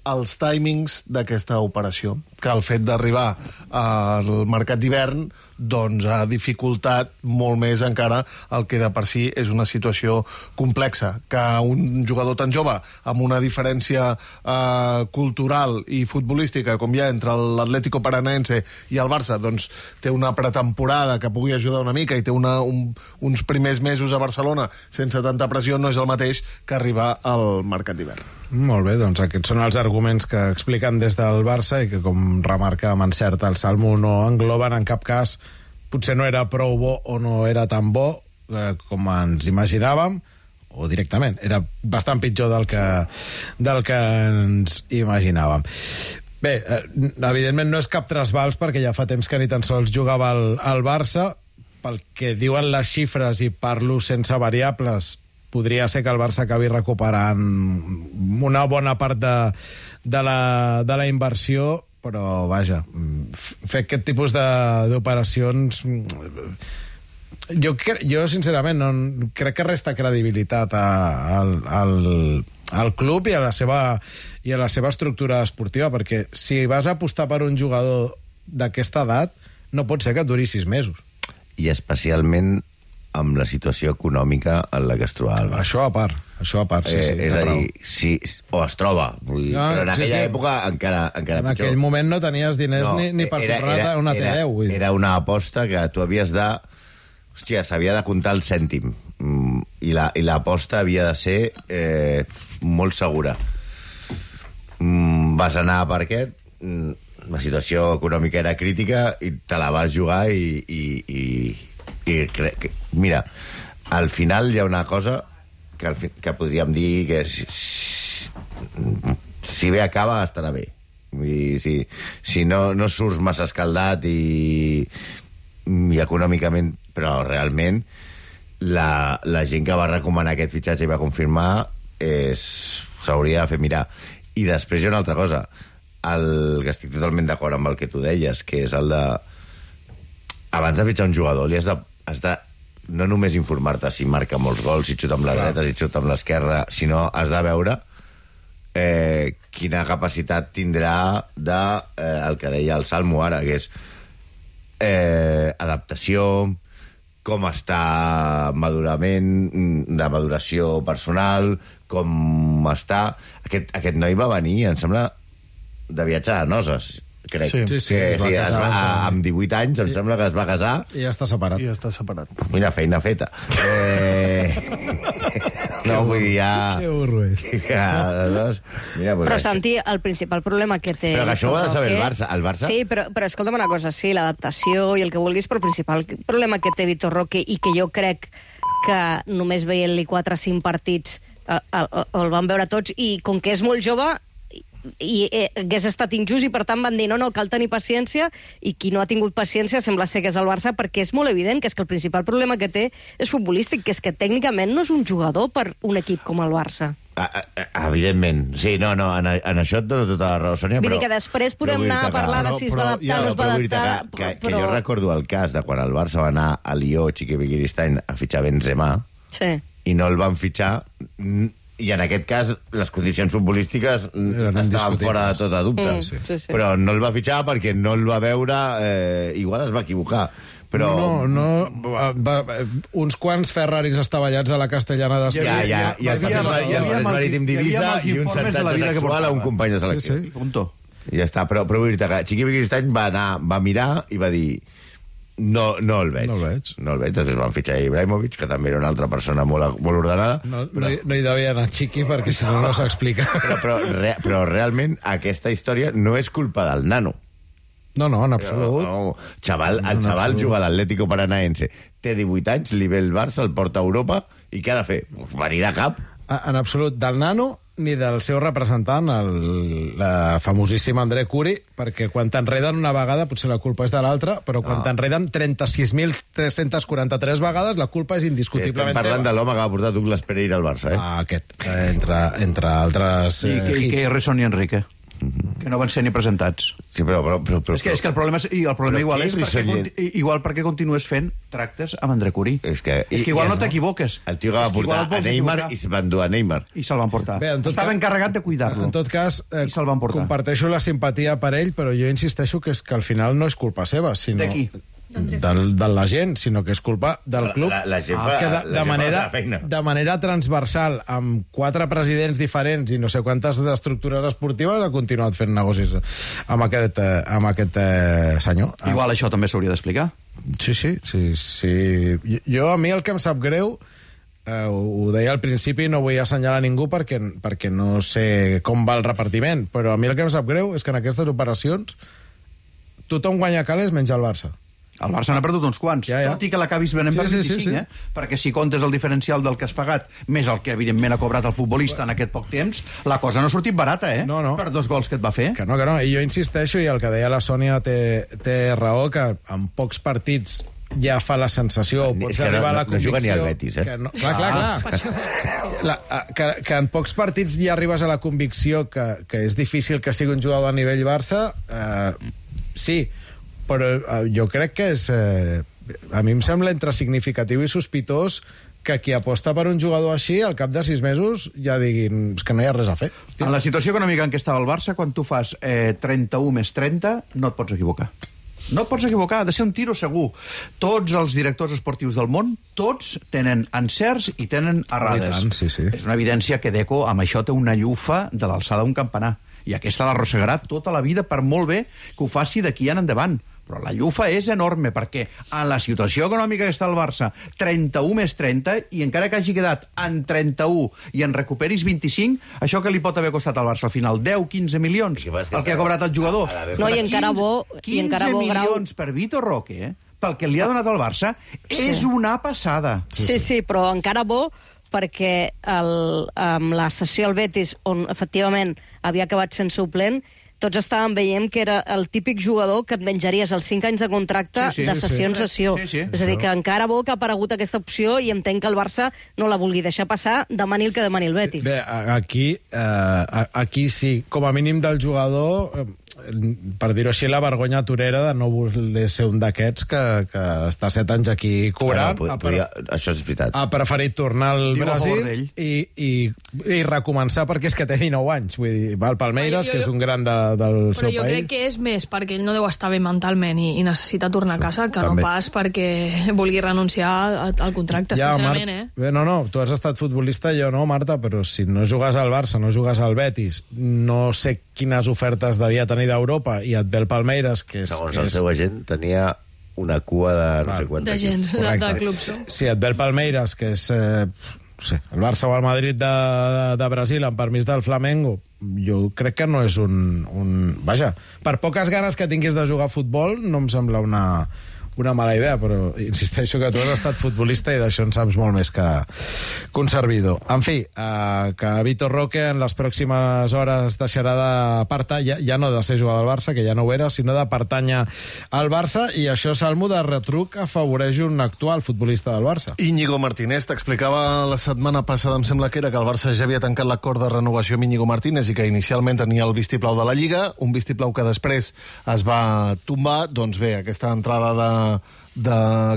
els timings d'aquesta operació, que el fet d'arribar al mercat d'hivern doncs ha dificultat molt més encara el que de per si és una situació complexa, que un jugador tan jove amb una diferència eh, cultural i futbolística com hi ha entre l'Atlético Paranaense i el Barça, doncs té una pretemporada que pugui ajudar una mica i té una, un, uns primers mesos a Barcelona sense tanta pressió, no és el mateix que arribar al mercat d'hivern. Molt bé, doncs aquests són els arguments que expliquen des del Barça i que, com remarca amb encert el Salmo, no engloben en cap cas, potser no era prou bo o no era tan bo eh, com ens imaginàvem, o directament, era bastant pitjor del que, del que ens imaginàvem. Bé, eh, evidentment no és cap trasbals, perquè ja fa temps que ni tan sols jugava al, al Barça. Pel que diuen les xifres, i parlo sense variables, podria ser que el Barça acabi recuperant una bona part de, de, la, de la inversió, però, vaja, fer aquest tipus d'operacions... Jo, jo sincerament, no, crec que resta credibilitat a, al, al, al club i a, la seva, i a la seva estructura esportiva, perquè si vas a apostar per un jugador d'aquesta edat, no pot ser que et duri sis mesos. I especialment amb la situació econòmica en la que es trobava. Això a part, això a part, sí, sí. Eh, és a dir, sí, o es troba, vull dir, no, però en aquella sí, sí. època encara, encara en pitjor. En aquell moment no tenies diners no, ni, ni per era, comprar era, una T deu. Vull dir. Era una aposta que tu havies de... Hòstia, s'havia de comptar el cèntim. Mm, I l'aposta la, havia de ser eh, molt segura. Mm, vas anar per aquest, mm, la situació econòmica era crítica i te la vas jugar i... i, i I crec, mira, al final hi ha una cosa que, al fi, que podríem dir que si, si bé acaba estarà bé. I si, si no, no surts massa escaldat i, i econòmicament, però realment la, la gent que va recomanar aquest fitxatge i va confirmar s'hauria de fer mirar. I després hi ha una altra cosa, el, que estic totalment d'acord amb el que tu deies, que és el de abans de fitxar un jugador li has de has de no només informar-te si marca molts gols, si xuta amb la dreta, si xuta amb l'esquerra, sinó has de veure eh, quina capacitat tindrà de, eh, el que deia el Salmo ara, que és eh, adaptació, com està madurament, de maduració personal, com està... Aquest, aquest noi va venir, em sembla, de viatge a Noses, crec. Sí, sí, sí, que, es va sí casar, es va, sí. amb divuit anys, em sembla que es va casar. I ja està separat. I està separat. Mira, feina feta. Eh... no, vull dir, ja... Que burro és. Ja, doncs, mira, pues Però, això. Santi, el principal problema que té... Però que això ho ha de saber el Roque- Barça. El Barça... Sí, però, però escolta'm una cosa, sí, l'adaptació i el que vulguis, però el principal problema que té Vitor Roque i que jo crec que només veient-li quatre o cinc partits eh, el, el van veure tots, i com que és molt jove i eh, hagués estat injust, i per tant van dir no, no, cal tenir paciència, i qui no ha tingut paciència sembla ser que és el Barça, perquè és molt evident que és que el principal problema que té és futbolístic, que és que tècnicament no és un jugador per un equip com el Barça. Ah, ah, evidentment. Sí, no, no, en, en això et dono tota la raó, Sònia, Vull però... dir que després podem però vull anar a dir-te que- parlar de si es va però- adaptar ja, o no es va però vull dir-te adaptar, que, que, però... que jo recordo el cas de quan el Barça va anar a Lió, Xiqui Begiristain, a fitxar Benzema, Sí. i no el van fitxar, mm, i en aquest cas les condicions futbolístiques mm, Eren estaven indiscutibles. fora de tota dubte. Mm, sí, sí. Però no el va fitxar perquè no el va veure... Eh, igual es va equivocar, però... No, no, va, va, uns quants Ferraris estavellats a la Castellana Ja, d'Espanya. ja, ja, Hi havia- ja, hi havia ja, el amb els- marítim hi havia d'Ibisa amb els i un informes de la xantatge vida que sexual a un portava. company de selecció. Sí, sí. Punto. I ja està, però, però vull dir-te que Xiqui Begiristain va anar, va mirar i va dir no, no el veig. No el veig. No el veig. Després van fitxar Ibrahimovic, que també era una altra persona molt, molt ordenada. No, no, hi, no hi devia anar Chiqui, perquè si no, no s'explica. Però, però, re, però realment aquesta història no és culpa del nano. No, no, en absolut. No, no. Xaval, el En xaval absolut. juga a l'Atlético Paranaense. Té divuit anys, li ve el Barça, el porta a Europa, i què ha de fer? Venir a cap? En absolut, del nano ni del seu representant, el la famosíssima André Curi, perquè quan t'enreden una vegada potser la culpa és de l'altra, però quan Ah. t'enreden trenta-sis mil tres-cents quaranta-tres vegades la culpa és Sí, indiscutiblement estem parlant teva. de l'home que va portar Douglas Pereira al Barça, eh? Ah, aquest, eh, entre, entre altres I, eh, que, i que hits. Errison i Enrique, que no van ser ni presentats. Sí, però... però, però, però És que, és que el problema, és, i el problema Però igual qui és perquè, Errison i- conti- igual perquè continues fent tractes amb André Curí. És que, és que igual no t'equivoques. El tio que va És que igual portar et a vols Neymar equivocar. i se va endur a Neymar. I se'l van portar. Bé, en tot Estava cas- encarregat de cuidar-lo. En tot cas, eh, I se'l van portar. comparteixo la simpatia per ell, però jo insisteixo que és que al final no és culpa seva, sinó... De qui? Del, de la gent, sinó que és culpa del La- club. la- la gent Ah, fa- que de, la de, gent fa manera, la seva feina. de manera transversal, amb quatre presidents diferents i no sé quantes estructures esportives, ha continuat fent negocis amb aquest, eh, amb aquest eh, senyor. Igual això també s'hauria d'explicar. Sí, sí, sí, sí. Jo- Jo, a mi el que em sap greu, eh, ho deia al principi, no vull assenyalar ningú perquè, perquè no sé com va el repartiment, però a mi el que em sap greu és que en aquestes operacions tothom guanya calés menys el Barça. El Barça n'ha perdut uns quants, Ja, ja. tot i que l'acabis venent Sí, per sí, vint-i-cinc, sí, sí. eh? Perquè si comptes el diferencial del que has pagat, més el que evidentment ha cobrat el futbolista en aquest poc temps, la cosa no ha sortit barata, eh? No, no. Per dos gols que et va fer. Que no, que no. I jo insisteixo, i el que deia la Sònia té, té raó, que en pocs partits ja fa la sensació, o És pots que no- arribar a la no- no juga convicció... ni al Betis, eh? Que no, clar, clar, clar. La, a- que, que en pocs partits ja arribes a la convicció que, que és difícil que sigui un jugador a nivell Barça, eh, sí, però eh, jo crec que és... Eh, a mi em sembla entre significatiu i sospitós que qui aposta per un jugador així, al cap de sis mesos, ja diguin és que no hi ha res a fer. En la situació econòmica en què estava el Barça, quan tu fas eh, trenta-u més trenta, no et pots equivocar. No et pots equivocar, ha de ser un tiro segur. Tots els directors esportius del món, tots tenen encerts i tenen errades. I tant, sí, sí. És una evidència que Deco amb això té una llufa de l'alçada d'un campanar. I aquesta l'arrossegarà tota la vida, per molt bé que ho faci d'aquí en endavant. Però la llufa és enorme, perquè en la situació econòmica que està el Barça, trenta-u més trenta, i encara que hagi quedat en trenta-u i en recuperis vint-i-cinc, això que li pot haver costat al Barça al final? deu quinze milions, que passa que el que ha cobrat el jugador. a la vez- No, i Escolta, encara bo- i encara bo quinze grau. milions per Vitor Roque, eh? Pel que li ha donat al Barça, és una passada. Sí, sí, però encara bo perquè el, amb la sessió al Betis, on efectivament havia acabat sent suplent, tots estàvem veient que era el típic jugador que et menjaries els cinc anys de contracte Sí, sí, de sí, sessió sí. en sessió. Sí, sí. És a dir, que encara bo que ha aparegut aquesta opció i entenc que el Barça no la vulgui deixar passar, demani el que demani el Betis. Bé, a- aquí, eh, a- aquí sí, com a mínim del jugador, eh, per dir-ho així, la vergonya torera de no voler ser un d'aquests que, que està set anys aquí cobrant. Ah, no, podria, això és veritat. Ha preferit tornar al Diu a favor Brasil d'ell. i, i, i recomençar perquè és que té dinou anys. Vull dir, va al Palmeiras, Jo- jo- que és un gran de, del Però seu jo país. crec que és més perquè ell no deu estar bé mentalment i, i necessita tornar a casa que També. no pas perquè vulgui renunciar a- al contracte, Ja, sincerament, Mar- eh? Bé, no, no, tu has estat futbolista, jo no, Marta, però si no jugues al Barça, no jugues al Betis, no sé quines ofertes devia tenir d'Europa i et ve el Palmeiras, que és... Segons que el és... seu agent, tenia una cua de no Val. sé quantes. De gent, de, Correcte. de clubs, no? Si et ve el Palmeiras, que és eh, no sé, el Barça o el Madrid de, de, de Brasil, amb permís del Flamengo, jo crec que no és un, un... Vaja, per poques ganes que tinguis de jugar a futbol, no em sembla una, una mala idea, però insisteixo que tu has estat futbolista i d'això en saps molt més que, que un servidor. En fi, eh, que Vitor Roque en les pròximes hores deixarà de pertànyer, ja, ja no de ser jugador del Barça, que ja no ho era, sinó de pertànyer al Barça, i això, Salmo, de retruc afavoreix un actual futbolista del Barça. Íñigo Martínez t'explicava la setmana passada, em sembla que era, que el Barça ja havia tancat l'acord de renovació amb Íñigo Martínez i que inicialment tenia el vistiplau de la Lliga, un vistiplau que després es va tombar. Doncs bé, aquesta entrada de, de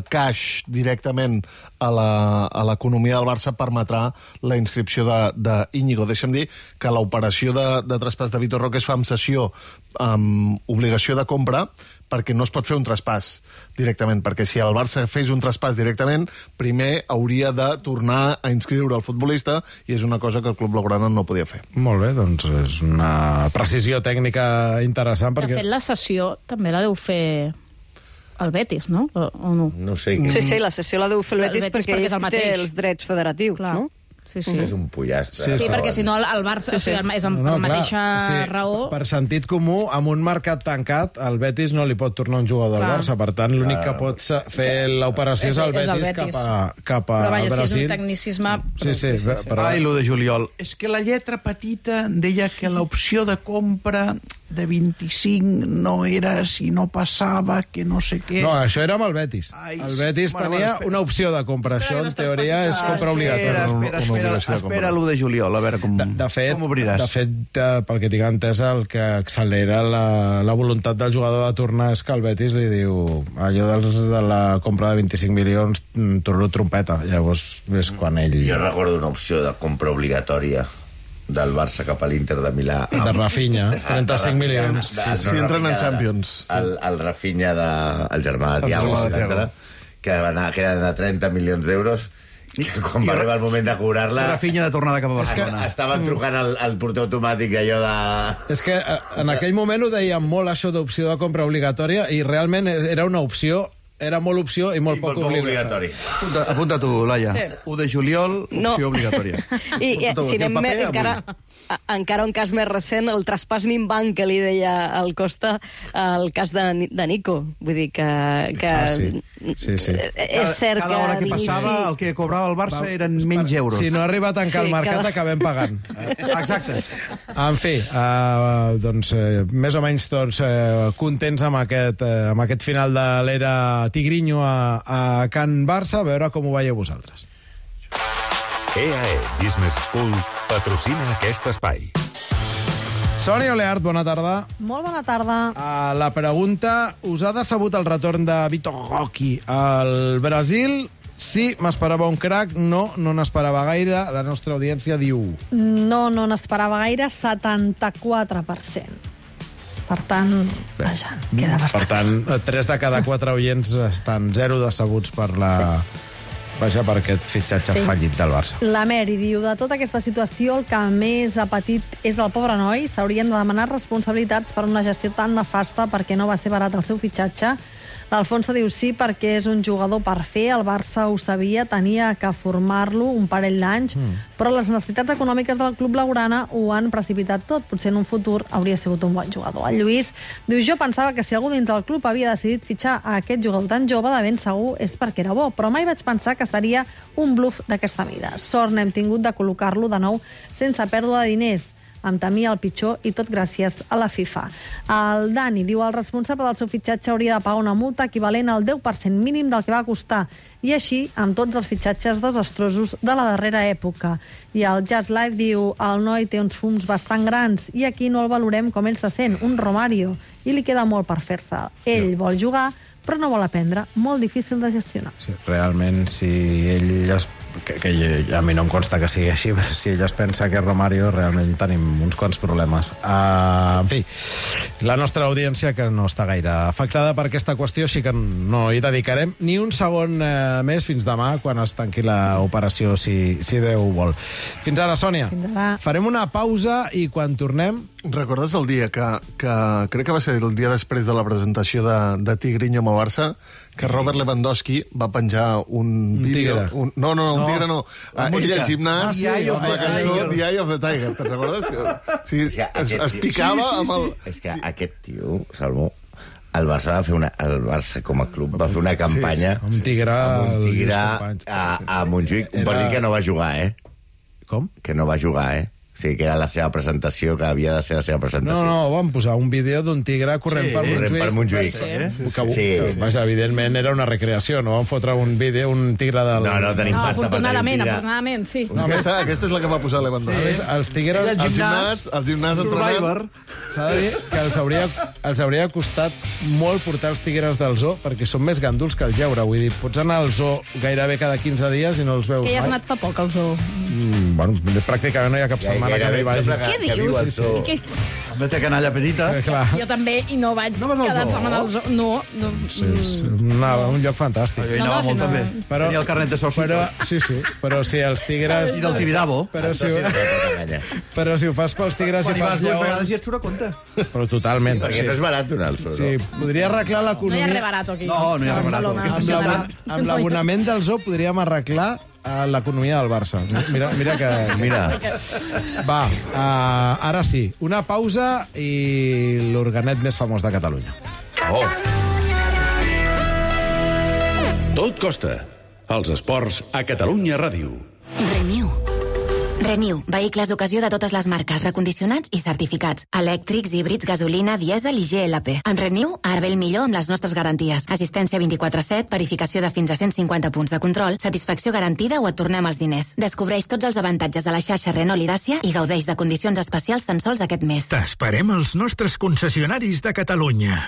cash directament a la- a l'economia del Barça permetrà la inscripció de, de Íñigo. Deixa'm dir que l'operació de, de traspàs de Vitor Roque es fa amb cessió, amb obligació de compra, perquè no es pot fer un traspàs directament, perquè si el Barça fes un traspàs directament, primer hauria de tornar a inscriure el futbolista, i és una cosa que el Club Blaugrana no podia fer. Molt bé, doncs és una precisió tècnica interessant. De Perquè... fet, la sessió també la deu fer el Betis, no? O, o no? No sé... Sí, sí, la sessió la deu fer el El Betis, Betis perquè, perquè és el ell té mateix. els drets federatius, Clar. no? Sí, sí. És un pollastre. Sí, sí, perquè si no el, el Barça... Sí, sí. O sigui, és amb No, la no, mateixa clar, raó... Per sentit comú, amb un mercat tancat, el Betis no li pot tornar un jugador del Clar. Barça. Per tant, l'únic que pot sa- fer l'operació és el És- és el Betis, Betis. cap a, cap a Però vaja, si és Brasil. un tecnicisme... Sí, sí, però... Ai, lo de juliol. És que la lletra petita deia que l'opció de compra de vint-i-cinc no era si no passava, que no sé què... No, això era amb el Betis. Ai, El Betis bueno, tenia bueno, espera. una opció de compra. Això, en teoria, és compra obligatòria. Espera, espera, Una espera, obligació de espera compra. l'u de juliol, a veure com, De, de fet, com obriràs. de fet eh, pel que tinc entès, el que accelera la, la voluntat del jugador de tornar és que el Betis li diu allò dels, de la compra de vint-i-cinc milions, mm, torno trompeta. Llavors és quan ell... Jo recordo una opció de compra obligatòria del Barça cap a l'Inter de Milà. De Rafinha, trenta-cinc milions. De- Si entren en Champions. El, el Rafinha, de, el germà de El Thiago, germà de Thiago. etcètera, que, va anar, que era de trenta milions d'euros, i que quan va arribar el moment de cobrar-la... Rafinha de tornada cap a Barcelona. Estaven trucant al, al porter automàtic allò de... És que eh, en aquell moment ho deien molt, això d'opció de compra obligatòria, i realment era una opció, era molt opció i molt I poc molt poc obligatori. obligatori. Apunta, apunta tu, Laia. Sí. u de juliol, No. opció obligatòria. I, i Apunta-ho si aquí al anem paper, més, encara, avui. a, encara un cas més recent, el traspàs minvant que li deia al Costa, el cas de, Ni- de Nico. Vull dir que... que Ah, sí. Sí, sí. És cert cada hora que d'inici- passava, el que cobrava el Barça eren menys euros. Si no arriba a tancar Sí, el mercat, cada- acabem pagant. Exacte. En fi, uh, doncs, eh, més o menys tots eh, contents amb aquest, eh, amb aquest final de l'era Tigrinho a, a Can Barça. A veure com ho veieu vosaltres. E A E Business School patrocina aquest espai. Sònia Oleart, bona tarda. Molt bona tarda. Uh, la pregunta, us ha decebut el retorn de Vitor Roque al Brasil? Sí, m'esperava un crac. No, no n'esperava gaire. La nostra audiència diu... No, no n'esperava gaire, setanta-quatre per cent. Per tant, vaja, queda bastant. Per tant, tres de cada quatre oients estan zero decebuts per la... Vaja, per aquest fitxatge Sí. fallit del Barça. La Mary diu, de tota aquesta situació, el que més ha patit és el pobre noi. S'haurien de demanar responsabilitats per una gestió tan nefasta perquè no va ser barat el seu fitxatge. L'Alfonso diu sí perquè és un jugador per fer, el Barça ho sabia, tenia que formar-lo un parell d'anys, mm. però les necessitats econòmiques del club blaugrana ho han precipitat tot. Potser en un futur hauria sigut un bon jugador. El Lluís diu, jo pensava que si algú dins del club havia decidit fitxar a aquest jugador tan jove, de ben segur és perquè era bo, però mai vaig pensar que seria un bluff d'aquesta mida. Sort n'hem tingut de col·locar-lo de nou sense pèrdua de diners. Em temia el pitjor i tot gràcies a la FIFA. El Dani diu el responsable del seu fitxatge hauria de pagar una multa equivalent al deu per cent mínim del que va costar, i així amb tots els fitxatges desastrosos de la darrera època. I el Just Life diu el noi té uns fums bastant grans i aquí no el valorem com ell se sent, un Romario, i li queda molt per fer-se. Ell vol jugar, però no vol aprendre, molt difícil de gestionar. Sí, realment, si ell es que, que a mi no em consta que sigui així, però si ell es pensa que és Romario, realment tenim uns quants problemes. Uh, en fi, la nostra audiència que no està gaire afectada per aquesta qüestió, així que no hi dedicarem ni un segon uh, més fins demà, quan es tanqui l'operació, si, si Déu vol. Fins ara, Sònia. Fins ara. Farem una pausa i quan tornem... Recordes el dia que, que crec que va ser el dia després de la presentació de, de Tigrinho amb el Barça, que Robert Lewandowski va penjar un, un vídeo... tigre. Un, no, no, no, un No. tigre no. La Uh, ell música. al gimnàs, Ah, sí, The Eye of amb la the cançó Tiger. The Eye of the Tiger, te'n recordes? Sí, O sigui, es, aquest es tio- picava sí, sí, amb el... sí. És que aquest tio, Salmó, el Barça va fer una, el Barça com a club va fer una campanya Sí, sí. Un tigre amb un als tigre companys. a, a Montjuïc, un Era- partit que no va jugar, eh? Com? Que no va jugar, eh? O sigui, que era la seva presentació, que havia de ser la seva presentació. No, no, vam posar un vídeo d'un tigre corrent Sí, per corrent Montjuïc. per Montjuïc. Sí, Sí, que, sí, que, sí. vaja, evidentment era una recreació, no vam fotre un vídeo, un tigre del... No, no tenim No, pasta per tenir un afortunadament, tigre. afortunadament, sí. No, aquesta, aquesta és la que va posar Lewandowski. Sí. Els tigres... Ell al gimnàs, al gimnàs entrenant. S'ha de dir que els hauria, els hauria costat molt portar els tigres del zoo, perquè són més ganduls que el lleure. Vull dir, pots anar al zoo gairebé cada quinze dies i no els veus Que ja has mai. anat fa poc al zoo. Mm, bueno, pràcticament no hi ha cap Ja, setmana que no gairebé hi vagi. sembla Què que viu dius? al zoo. I què... També té canalla petita. Eh, clar. Jo també, i no vaig No vas al cada zoo? setmana al zoo. No, no. Sí, és una, un lloc fantàstic. Jo hi No, anava no, si molt, no- també. Però- Tenia el carnet de soci. Però, sí, sí, però si els tigres... I del Tibidabo. Però si, però si ho fas pels tigres Quan i hi vas pels dues vegades lleons... ja et surt a compte. Però totalment. Perquè no és barat donar el zoo, Sí, no? podria arreglar No hi ha l'economia... res barat aquí. No, no hi ha A res barat. Barcelona, Aquesta Amb ciutat. l'abon- amb l'abonament del zoo podríem arreglar eh, l'economia del Barça. Mira, mira que... Mira, Va, uh, ara sí, una pausa i l'organet més famós de Catalunya. oh, Tot costa. Els esports a Catalunya Ràdio. Renew. Renew, vehicles d'ocasió de totes les marques, recondicionats i certificats. Elèctrics, híbrids, gasolina, dièsel i G L P. En Renew, ara ve el millor amb les nostres garanties. Assistència vint-i-quatre set, verificació de fins a cent cinquanta punts de control, satisfacció garantida o et tornem els diners. Descobreix tots els avantatges de la xarxa Renault i Dacia i gaudeix de condicions especials tan sols aquest mes. T'esperem als nostres concessionaris de Catalunya.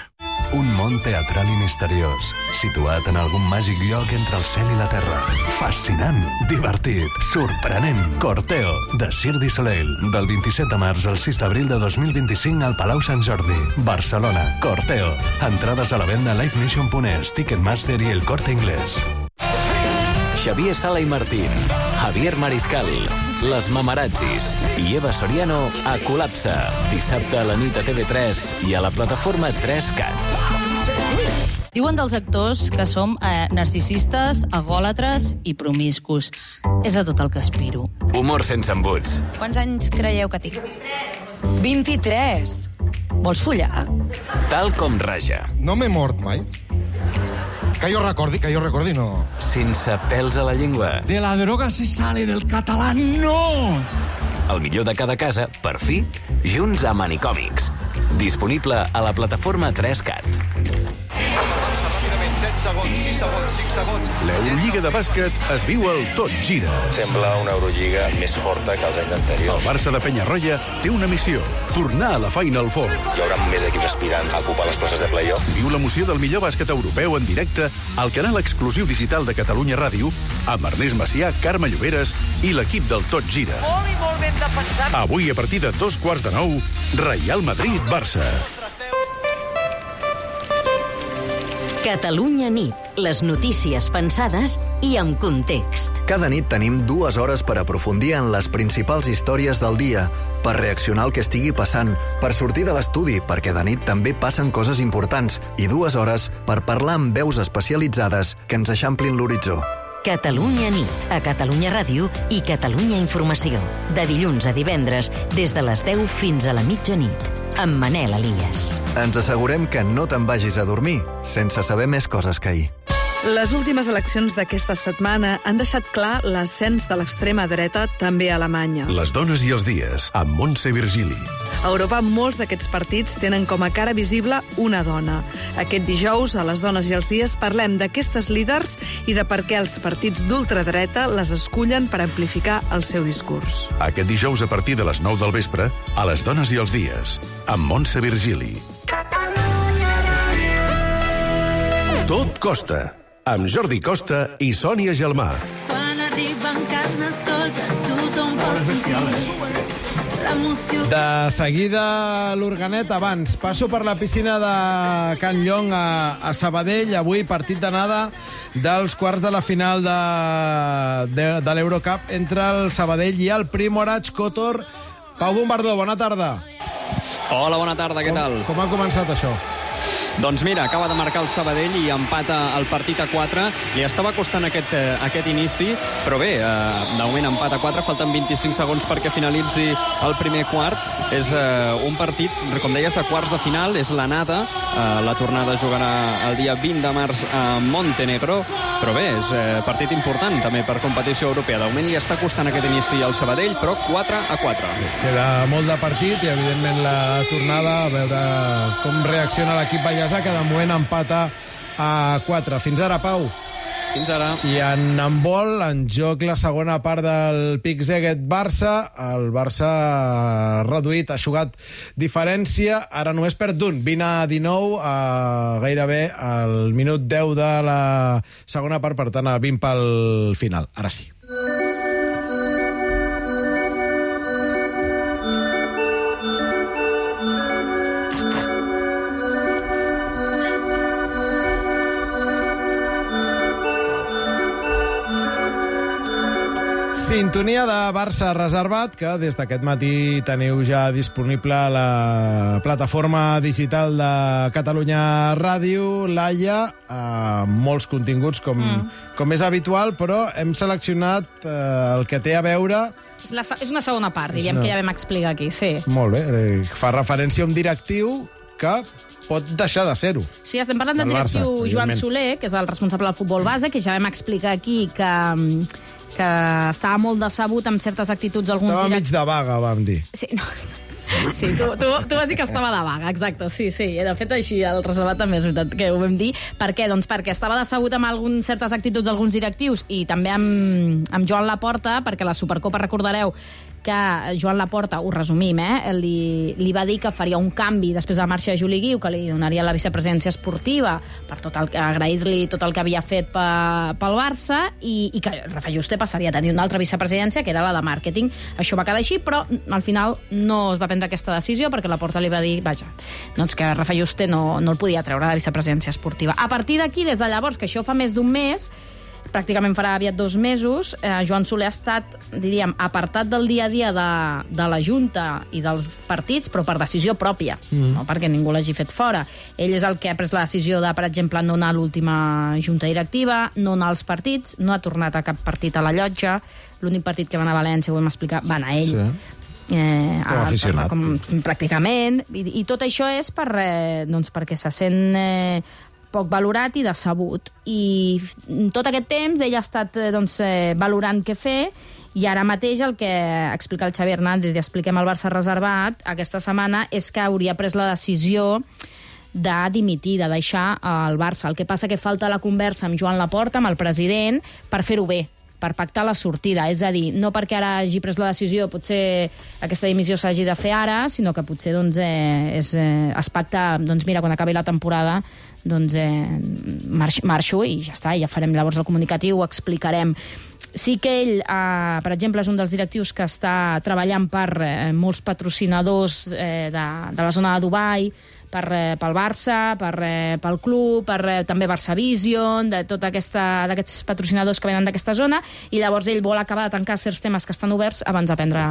Un món teatral i misteriós, situat en algun màgic lloc entre el cel i la terra. Fascinant, divertit, sorprenent. Corteo, de Cirque du Soleil, del vint-i-set de març al sis d'abril de dos mil vint-i-cinc al Palau Sant Jordi. Barcelona, Corteo. Entrades a la venda a livenation punt es, Ticketmaster i El Corte Inglés. Xavier Sala i Martín, Javier Mariscal, Les Mamarazzis i Eva Soriano a Col·lapse. Dissabte a la nit a T V tres i a la plataforma tres cat. Diuen dels actors que som eh, narcisistes, agòlatres i promiscus. És a tot el que aspiro. Humor sense embuts. Quants anys creieu que tinc? vint-i-tres. Vols follar? Tal com raja. No m'he mort mai. Que jo recordi, que jo recordi, no. Sense pèls a la llengua. De la droga se sale, del català no! El millor de cada casa, per fi, junts a Manicòmics. Disponible a la plataforma tres cat. set segons, sis segons, cinc segons... L'Eurolliga de bàsquet es viu al Tot Gira. Sembla una Eurolliga més forta que els anys anteriors. El Barça de Penyarroia té una missió, tornar a la Final Four. Hi haurà més equips aspirants a ocupar les places de play-off. Viu l'emoció del millor bàsquet europeu en directe al canal exclusiu digital de Catalunya Ràdio amb Ernest Macià, Carme Lloberes i l'equip del Tot Gira. Molt i molt ben defensat. Avui, a partir de dos quarts de nou, Real Madrid-Barça. Catalunya nit. Les notícies pensades i amb context. Cada nit tenim dues hores per aprofundir en les principals històries del dia, per reaccionar al que estigui passant, per sortir de l'estudi, perquè de nit també passen coses importants, i dues hores per parlar amb veus especialitzades que ens eixamplin l'horitzó. Catalunya nit, a Catalunya Ràdio i Catalunya Informació. De dilluns a divendres, des de les deu fins a la mitjanit, amb Manel Elias. Ens assegurem que no te'n vagis a dormir sense saber més coses que ahir. Les últimes eleccions d'aquesta setmana han deixat clar l'ascens de l'extrema dreta també a Alemanya. Les dones i els dies, amb Montse Virgili. A Europa, molts d'aquests partits tenen com a cara visible una dona. Aquest dijous, a Les dones i els dies, parlem d'aquestes líders i de per què els partits d'ultradreta les escullen per amplificar el seu discurs. Aquest dijous, a partir de les nou del vespre, a Les dones i els dies, amb Montse Virgili. Tot costa, amb Jordi Costa i Sònia Gelmà. Quan arriben carnestoltes, tothom pot sentir l'emoció. De seguida, l'Organet. Abans, passo per la piscina de Can Llong a, a Sabadell. Avui, partit d'anada dels quarts de la final de, de, de l'Eurocup entre el Sabadell i el Primorac Kotor. Pau Bombardó, bona tarda. Hola, bona tarda, què tal? Com, com ha començat això? Doncs mira, acaba de marcar el Sabadell i empata el partit a quatre. Li estava costant aquest, eh, aquest inici, però bé, eh, de moment empat a quatre, falten vint-i-cinc segons perquè finalitzi el primer quart. És eh, un partit, com deies, de quarts de final, és l'anada. Eh, la tornada jugarà el dia vint de març a Montenegro, però bé, és eh, partit important també per competició europea. De moment li està costant aquest inici al Sabadell, però quatre a quatre. Queda molt de partit i, evidentment, la tornada, a veure com reacciona l'equip ballesà, que de moment empata a quatre. Fins ara, Pau. Fins ara. I en handbol, en joc la segona part del Pic Szeged-Barça. El Barça ha reduït, ha jugat diferència. Ara només perd d'un, vint a dinou, a gairebé al minut deu de la segona part, per tant, a vint pel final. Ara sí. Sintonia de Barça reservat, que des d'aquest matí teniu ja disponible a la plataforma digital de Catalunya Ràdio, Laia, amb molts continguts com, mm. com és habitual, però hem seleccionat eh, el que té a veure... És, la, és una segona part, diguem, una... que ja vam explicar aquí, sí. Molt bé, eh, fa referència a un directiu que pot deixar de ser-ho. Sí, estem parlant del directiu Barça, Joan Soler, que és el responsable del futbol base, que ja vam explicar aquí que... que estava molt decebut amb certes actituds d'alguns estava direct... mig de vaga, vam dir. Sí, no, sí tu, tu, tu vas dir que estava de vaga, exacte, sí, sí. De fet, així, el reservat també és veritat que ho vam dir. Per què? Doncs perquè estava decebut amb alguns, certes actituds d'alguns directius i també amb, amb Joan Laporta, perquè la Supercopa, recordareu, que Joan Laporta, ho resumim, eh, li, li va dir que faria un canvi després de la marxa de Juli Guiu, que li donaria la vicepresidència esportiva per tot el, agrair-li tot el que havia fet pe, pel Barça i, i que Rafa Juste passaria a tenir una altra vicepresidència, que era la de màrqueting. Això va quedar així, però al final no es va prendre aquesta decisió perquè Laporta li va dir, vaja, doncs que Rafa Juste no, no el podia treure de la vicepresidència esportiva. A partir d'aquí, des de llavors, que això fa més d'un mes, pràcticament farà aviat dos mesos, eh, Joan Soler ha estat, diríem, apartat del dia a dia de, de la Junta i dels partits, però per decisió pròpia, mm. no perquè ningú l'hagi fet fora. Ell és el que ha pres la decisió de, per exemple, no anar a l'última Junta Directiva, no anar als partits, no ha tornat a cap partit a la llotja, l'únic partit que va anar a València, ho vam explicar, va anar ell. Sí. Eh, com a aficionat. Com, pràcticament. I, I tot això és per, eh, doncs perquè se sent... Eh, poc valorat i decebut. I tot aquest temps ell ha estat doncs, eh, valorant què fer i ara mateix el que explica el Xavi Hernández i expliquem al Barça reservat aquesta setmana és que hauria pres la decisió de dimitir, de deixar el Barça. El que passa que falta la conversa amb Joan Laporta, amb el president, per fer-ho bé, per pactar la sortida. És a dir, no perquè ara hagi pres la decisió, potser aquesta dimissió s'hagi de fer ara, sinó que potser doncs, eh, és, eh, es pacta, doncs mira, quan acabi la temporada, doncs eh, marxo, marxo i ja està, ja farem llavors el comunicatiu, ho explicarem. Sí que ell, eh, per exemple, és un dels directius que està treballant per eh, molts patrocinadors eh, de, de la zona de Dubai, per, eh, pel Barça, per, eh, pel club, per eh, també Barça Vision, de tot d'aquests patrocinadors que venen d'aquesta zona, i llavors ell vol acabar de tancar certs temes que estan oberts abans de prendre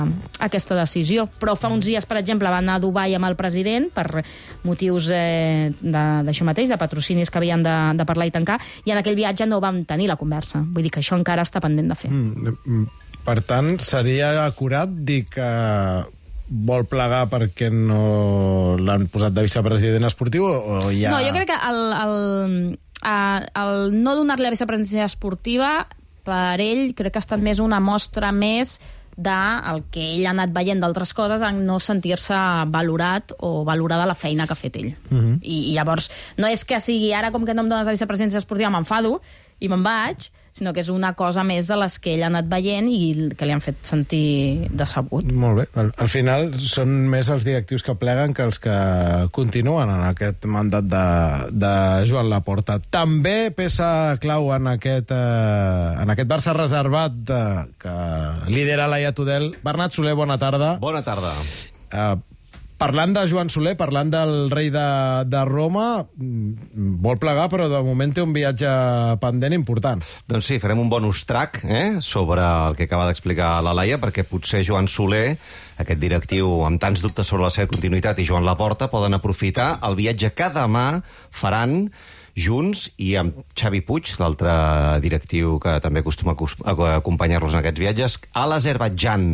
aquesta decisió. Però fa uns dies, per exemple, va anar a Dubai amb el president per motius eh, d'això mateix, de patrocinis que havien de, de parlar i tancar, i en aquell viatge no vam tenir la conversa. Vull dir que això encara està pendent de fer. Mm, per tant, seria acurat dir que vol plegar perquè no l'han posat de vicepresident esportiu o ja... No, jo crec que el, el, eh, el no donar-li la vicepresidència esportiva, per ell, crec que ha estat més una mostra més del que ell ha anat veient d'altres coses en no sentir-se valorat o valorada la feina que ha fet ell. Mhm. I, I llavors, no és que sigui ara com que no em dones la vicepresidència esportiva m'enfado i me'n vaig, sinó que és una cosa més de les que ell ha anat veient i que li han fet sentir decebut. Molt bé. Al, al final són més els directius que pleguen que els que continuen en aquest mandat de, de Joan Laporta. També peça clau en aquest, eh, en aquest Barça reservat de, que lidera Laia Tudel. Bernat Soler, bona tarda. Bona tarda. Eh, Parlant de Joan Soler, parlant del rei de, de Roma, vol plegar, però de moment té un viatge pendent important. Doncs sí, farem un bonus track eh, sobre el que acaba d'explicar la Laia, perquè potser Joan Soler, aquest directiu amb tants dubtes sobre la seva continuïtat, i Joan Laporta poden aprofitar el viatge que demà faran junts i amb Xavi Puig, l'altre directiu que també acostuma a acompanyar-los en aquests viatges, a l'Azerbaidjan.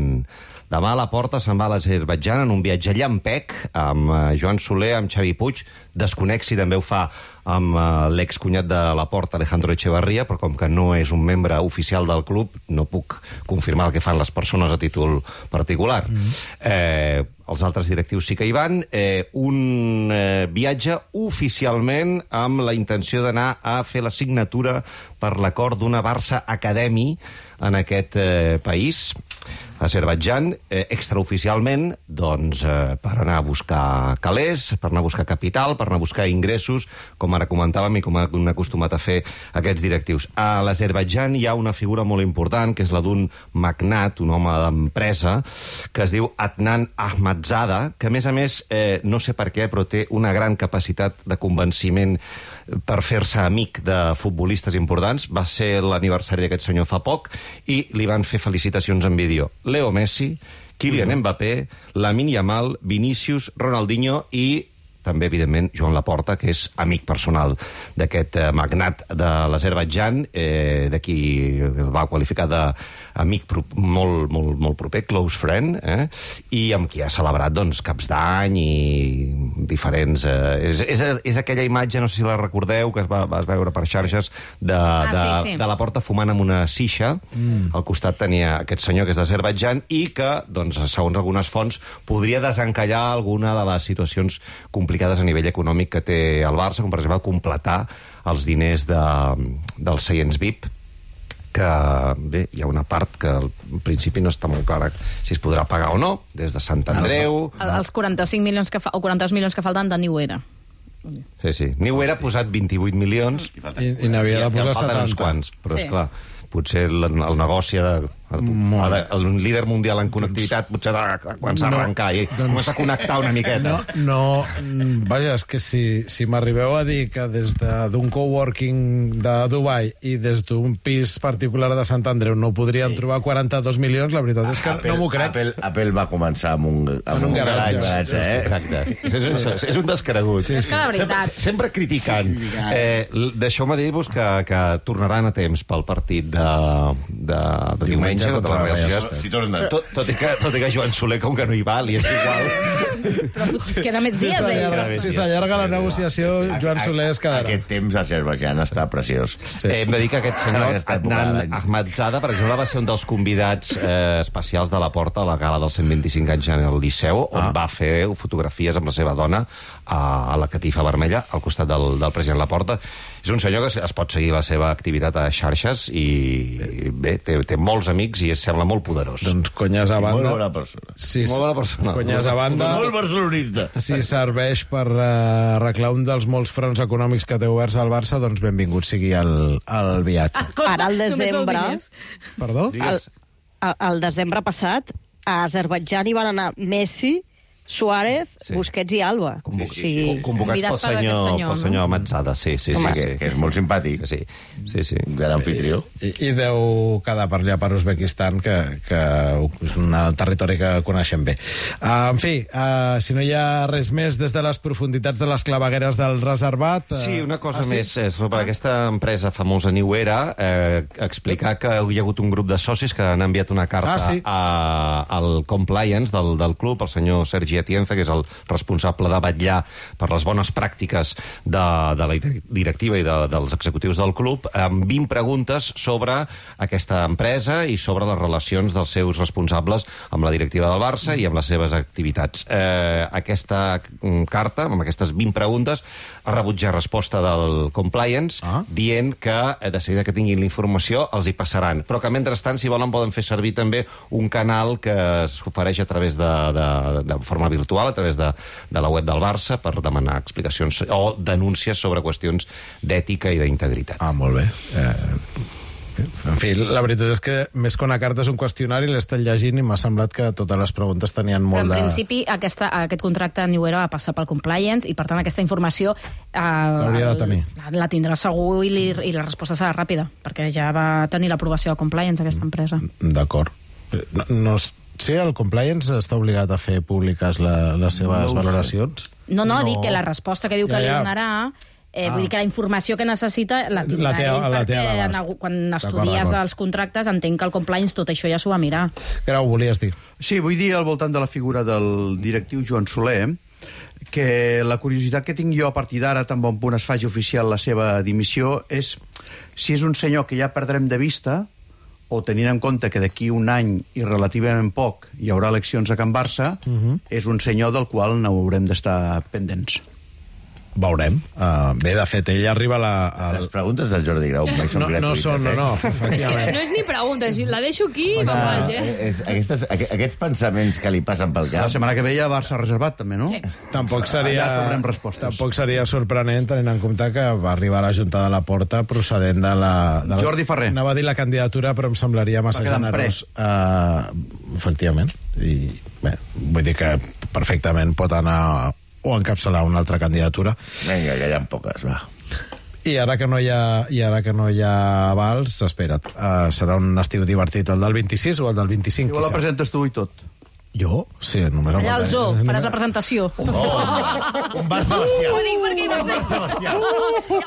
Demà a Laporta se'n va a l'Azerbaidjan en un viatge llampec amb Joan Soler, amb Xavi Puig. Desconec si també ho fa amb l'excunyat de Laporta, Alejandro Echevarría, però com que no és un membre oficial del club, no puc confirmar el que fan les persones a títol particular. Mm-hmm. eh, els altres directius sí que hi van. Eh, un eh, viatge oficialment amb la intenció d'anar a fer la signatura per l'acord d'una Barça Academy en aquest eh, país, Azerbaidjan, eh, extraoficialment, doncs, eh, per anar a buscar calés, per anar a buscar capital, per anar a buscar ingressos, com ara comentàvem i com han acostumat a fer aquests directius. A l'Azerbaidjan hi ha una figura molt important, que és la d'un magnat, un home d'empresa, que es diu Adnan Ahmadzada, que, a més a més, eh, no sé per què, però té una gran capacitat de convenciment per fer-se amic de futbolistes importants. Va ser l'aniversari d'aquest senyor fa poc i li van fer felicitacions en vídeo Leo Messi, Kylian Mbappé, Lamine Yamal, Vinícius, Ronaldinho i també, evidentment, Joan Laporta, que és amic personal d'aquest eh, magnat de l'Azerbaidjan, eh, de qui el va qualificar d'amic molt, molt, molt proper, close friend, eh, i amb qui ha celebrat doncs, caps d'any i diferents... Eh, és, és, és aquella imatge, no sé si la recordeu, que es va, va veure per xarxes, de, ah, de, sí, sí. de Laporta fumant amb una sisha. Mm. Al costat tenia aquest senyor, que és d'Azerbaidjan, i que, doncs, segons algunes fonts, podria desencallar alguna de les situacions complicades a nivell econòmic que té el Barça, com per exemple completar els diners de, dels seients V I P, que bé, hi ha una part que al principi no està molt clara si es podrà pagar o no, des de Sant Andreu... El, els quaranta-cinc milions que fa, o quaranta-dos milions que falten de New Era. Sí, sí. New Era ha posat vint-i-vuit milions i, i n'havia de posar setanta. Uns quants, però, sí. esclar, potser el, el negoci de... Ara, el líder mundial en connectivitat potser ha de començar a arrencar i doncs, començar a connectar una miqueta. No, no vaja, és que si, si m'arribeu a dir que des d'un coworking de Dubai i des d'un pis particular de Sant Andreu no podrien trobar quaranta-dos milions, la veritat és que Apple, no m'ho crec. Apple, Apple va començar amb un, amb en un, un garatge, garatge eh? Exacte. És, és, és un descregut. Sí, sí. Sempre, sempre criticant. Sí, eh, Deixeu-me dir-vos que, que tornaran a temps pel partit de, de, de diumenge contra la Real Societat. Si tot, tot, i que, tot i que Joan Soler, com que no hi va, li és igual. Però potser es queda més dies, eh? Si s'allarga la negociació, Joan Soler es quedarà. Aquest temps a Azerbaidjan està preciós. Sí. Eh, hem de dir que aquest senyor, Adnan Ahmadzada, per exemple, va ser un dels convidats eh, especials de Laporta a la gala dels cent vint-i-cinc anys en el Liceu, on ah. va fer fotografies amb la seva dona a, a la catifa vermella, al costat del, del president Laporta. És un senyor que es pot seguir la seva activitat a xarxes i, bé, té, té molts amics i es sembla molt poderós. Doncs conyes a banda... Molt bona persona. Sí, molt bona persona. Conyes a banda... Molt barcelonista. Si serveix per uh, arreglar un dels molts fronts econòmics que té oberts al Barça, doncs benvingut sigui el, el viatge. Ara, al desembre... Perdó? Al, al desembre passat, a Azerbaidjan hi van anar Messi, Suárez, sí. Busquets i Alba. Convoc sí, sí, sí. Convocats pel senyor, senyor, pel senyor Matzada, sí, sí, Home, sí, que, sí. que és molt simpàtic. Sí, sí, sí. Un gran anfitrió. I, I deu quedar per allà per Uzbekistan, que, que és un territori que coneixem bé. Uh, en fi, uh, si no hi ha res més des de les profunditats de les clavegueres del reservat... Uh... Sí, una cosa ah, sí? més eh, sobre aquesta empresa famosa New Era, eh, explicar que hi ha hagut un grup de socis que han enviat una carta ah, sí. a, al compliance del, del club, el senyor Sergi Luigi Atienza, que és el responsable de vetllar per les bones pràctiques de, de la directiva i de, dels executius del club, amb vint preguntes sobre aquesta empresa i sobre les relacions dels seus responsables amb la directiva del Barça i amb les seves activitats. Eh, aquesta carta, amb aquestes vint preguntes, ha rebut ja resposta del Compliance, ah. dient que, de seguida que tinguin la informació, els hi passaran. Però que, mentrestant, si volen, poden fer servir també un canal que s'ofereix a través de, de, de forma virtual, a través de, de la web del Barça, per demanar explicacions o denúncies sobre qüestions d'ètica i d'integritat. Ah, molt bé. Eh... En fi, la veritat és que més que una carta és un qüestionari, l'he estat llegint i m'ha semblat que totes les preguntes tenien molt en de... En principi, aquesta, aquest contracte New Era va passar pel Compliance i, per tant, aquesta informació eh, l'hauria de tenir. La, la tindrà segur i, li, i la resposta serà ràpida, perquè ja va tenir l'aprovació de Compliance, aquesta empresa. D'acord. No, no, sí, el Compliance està obligat a fer públiques la, les seves no valoracions? No, no, no, dic que la resposta que diu que ja, ja. li donarà... Eh, ah. Vull dir que la informació que necessita la tindrà la teva, ell, la perquè en, quan estudies els contractes entenc que el Compliance tot això ja s'ho va mirar. Grau, volies dir? Sí, vull dir al voltant de la figura del directiu Joan Soler que la curiositat que tinc jo a partir d'ara, tan bon punt es faci oficial la seva dimissió, és si és un senyor que ja perdrem de vista o tenint en compte que d'aquí un any i relativament poc hi haurà eleccions a Can Barça, uh -huh. és un senyor del qual no haurem d'estar pendents. Veurem. Uh, bé, de fet, ell arriba a la... A... Les preguntes del Jordi Grau mai són no, gratuïtes. No són, no, no. És que no és ni pregunta, la deixo aquí i me'n vaig, eh? És, aquestes, aquests pensaments que li passen pel cap... La setmana que ve ja Barça reservat, també, no? Sí. Tampoc seria... Ja trobarem respostes. Tampoc seria sorprenent, tenint en compte que va arribar a la Junta de la Porta procedent de la... De la... Jordi Ferrer. Anava a dir la candidatura, però em semblaria massa generós. Uh, efectivament. I, bé, vull dir que perfectament pot anar... o encapçalar una altra candidatura. Vinga, que hi ha poques, va. I ara que no hi ha, i ara que no hi ha vals, espera't, uh, serà un estiu divertit, el del vint-i-sis o el del vint-i-cinc? Igual la presentes tu i tot. Jo? Sí, només... Allà al zoo, faràs la presentació. Oh, un Barça bestial. Ho dic perquè hi va ser...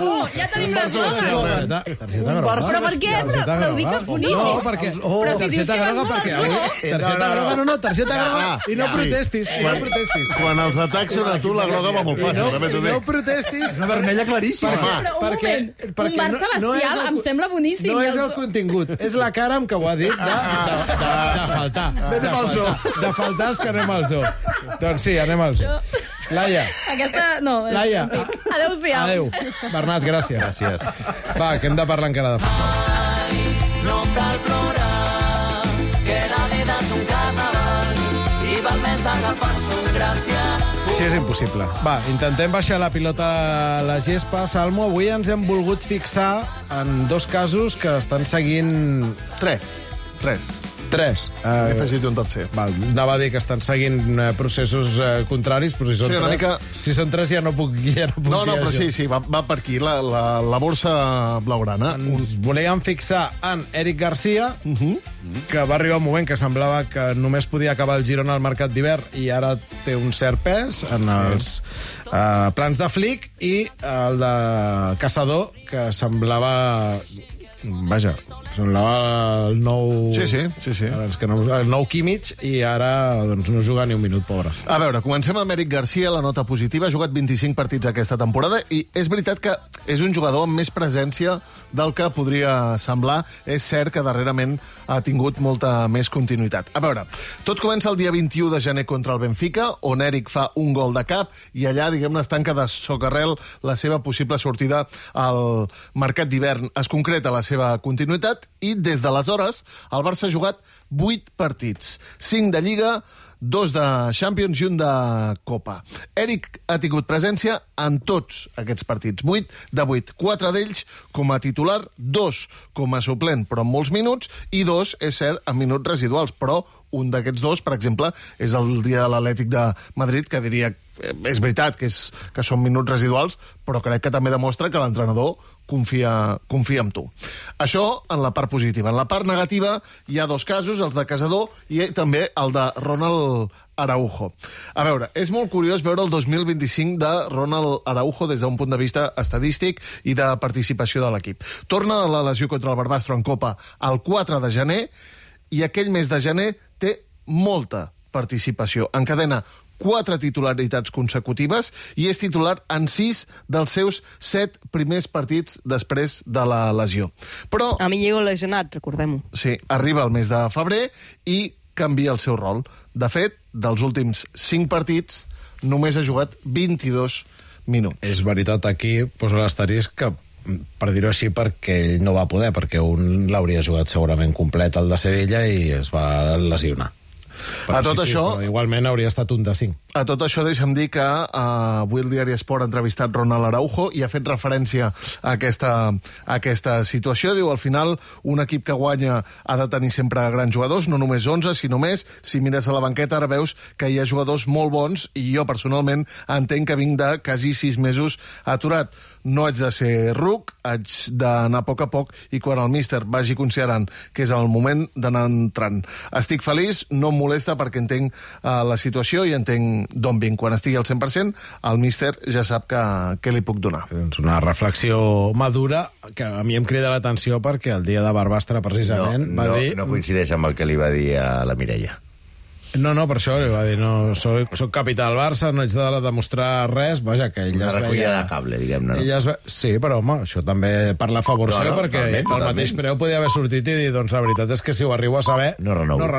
Oh, ja tenim les nostres. Targeta groga. Però per què? Però ho dic boníssim. No, perquè... Però si dius que vas molt al zoo... Targeta groga, no, no, targeta groga. I no protestis, i no protestis. Quan els atacs són a tu, la groga va molt fàcil, també t'ho dic. I no protestis. És una vermella claríssima. Però un moment, un Barça bestial em sembla boníssim. No és el contingut, és la cara amb què ho ha dit de faltar. Vete pel zoo. De faltar els que anem al zoo. Doncs sí, anem al zoo. Laia. Aquesta, no. Laia. Adéu-siau. Adéu. Bernat, gràcies. Gràcies. Va, que hem de parlar encara de futbol. No cal plorar, que la vida és un carnaval i val més agafar-se un gràcia. Sí, és impossible. Va, intentem baixar la pilota a la gespa. Salmo, avui ens hem volgut fixar en dos casos que estan seguint... Tres. Tres. Tres. He afegit un tercer. Val, anava a dir que estan seguint uh, processos uh, contraris, però si són, sí, tres, mica... si són tres ja no puc, ja no puc no, no, dir però això. sí, sí, va, va per aquí, la, la, la borsa blaugrana. Ens volíem fixar en Eric Garcia, uh -huh. que va arribar un moment que semblava que només podia acabar el Girona al mercat d'hivern i ara té un cert pes en els uh, plans de Flick, i el de Caçador, que semblava... Vaja, semblava el nou... Sí, sí, sí, sí. Que no, el nou Kimmich, i ara doncs, no juga ni un minut, pobre. A veure, comencem amb Eric Garcia, la nota positiva. Ha jugat vint-i-cinc partits aquesta temporada i és veritat que és un jugador amb més presència del que podria semblar. És cert que darrerament ha tingut molta més continuïtat. A veure, tot comença el dia vint-i-u de gener contra el Benfica, on Eric fa un gol de cap i allà, diguem-ne, es tanca de socarrel la seva possible sortida al mercat d'hivern. Es concreta la seva continuïtat i des d'aleshores el Barça ha jugat vuit partits, cinc de Lliga, dos de Champions i un de Copa. Eric ha tingut presència en tots aquests partits, vuit de vuit, quatre d'ells com a titular, dos com a suplent, però en molts minuts, i dos, és cert, en minuts residuals, però un d'aquests dos, per exemple, és el dia de l'Atlètic de Madrid, que diria, és veritat que, és, que són minuts residuals, però crec que també demostra que l'entrenador confia, confia en tu. Això en la part positiva. En la part negativa hi ha dos casos, els de Caçador i també el de Ronald Araujo. A veure, és molt curiós veure el dos mil vint-i-cinc de Ronald Araujo des d'un punt de vista estadístic i de participació de l'equip. Torna de la lesió contra el Barbastro en Copa el quatre de gener i aquell mes de gener té molta participació. Encadena quatre titularitats consecutives i és titular en sis dels seus set primers partits després de la lesió. Però... Amigo lesionat, recordem-ho. Sí, arriba el mes de febrer i canvia el seu rol. De fet, dels últims cinc partits, només ha jugat vint-i-dos minuts. És veritat, aquí poso l'asterisc que, per dir-ho així, perquè ell no va poder, perquè un l'hauria jugat segurament complet, el de Sevilla, i es va lesionar. Però a tot sí, això... Sí, igualment hauria estat un de cinc. A tot això, deixa'm dir que uh, avui el diari Esport ha entrevistat Ronald Araujo i ha fet referència a aquesta, a aquesta situació. Diu, al final, un equip que guanya ha de tenir sempre grans jugadors, no només onze, sinó més. Si mires a la banqueta, ara veus que hi ha jugadors molt bons i jo, personalment, entenc que vinc de quasi sis mesos aturat. No haig de ser ruc, haig d'anar a poc a poc i quan el míster vagi considerant que és el moment d'anar entrant. Estic feliç, no em molesta perquè entenc uh, la situació i entenc d'on vinc. Quan estigui al cent per cent, el míster ja sap que, que li puc donar. És una reflexió madura que a mi em crida l'atenció perquè el dia de Barbastre, precisament, no, va no, dir... No coincideix amb el que li va dir a la Mireia. No, no, per això li va dir, no, soc, soc capità del Barça, no haig de demostrar res, vaja, que ell Una es recollida veia... de cable, diguem-ne. No? Ella es ve... Sí, però, home, això també per la favor No, seva, no, perquè totalment, el totalment. mateix preu podia haver sortit i dir, doncs la veritat és que si ho arribo a saber... No renovo. No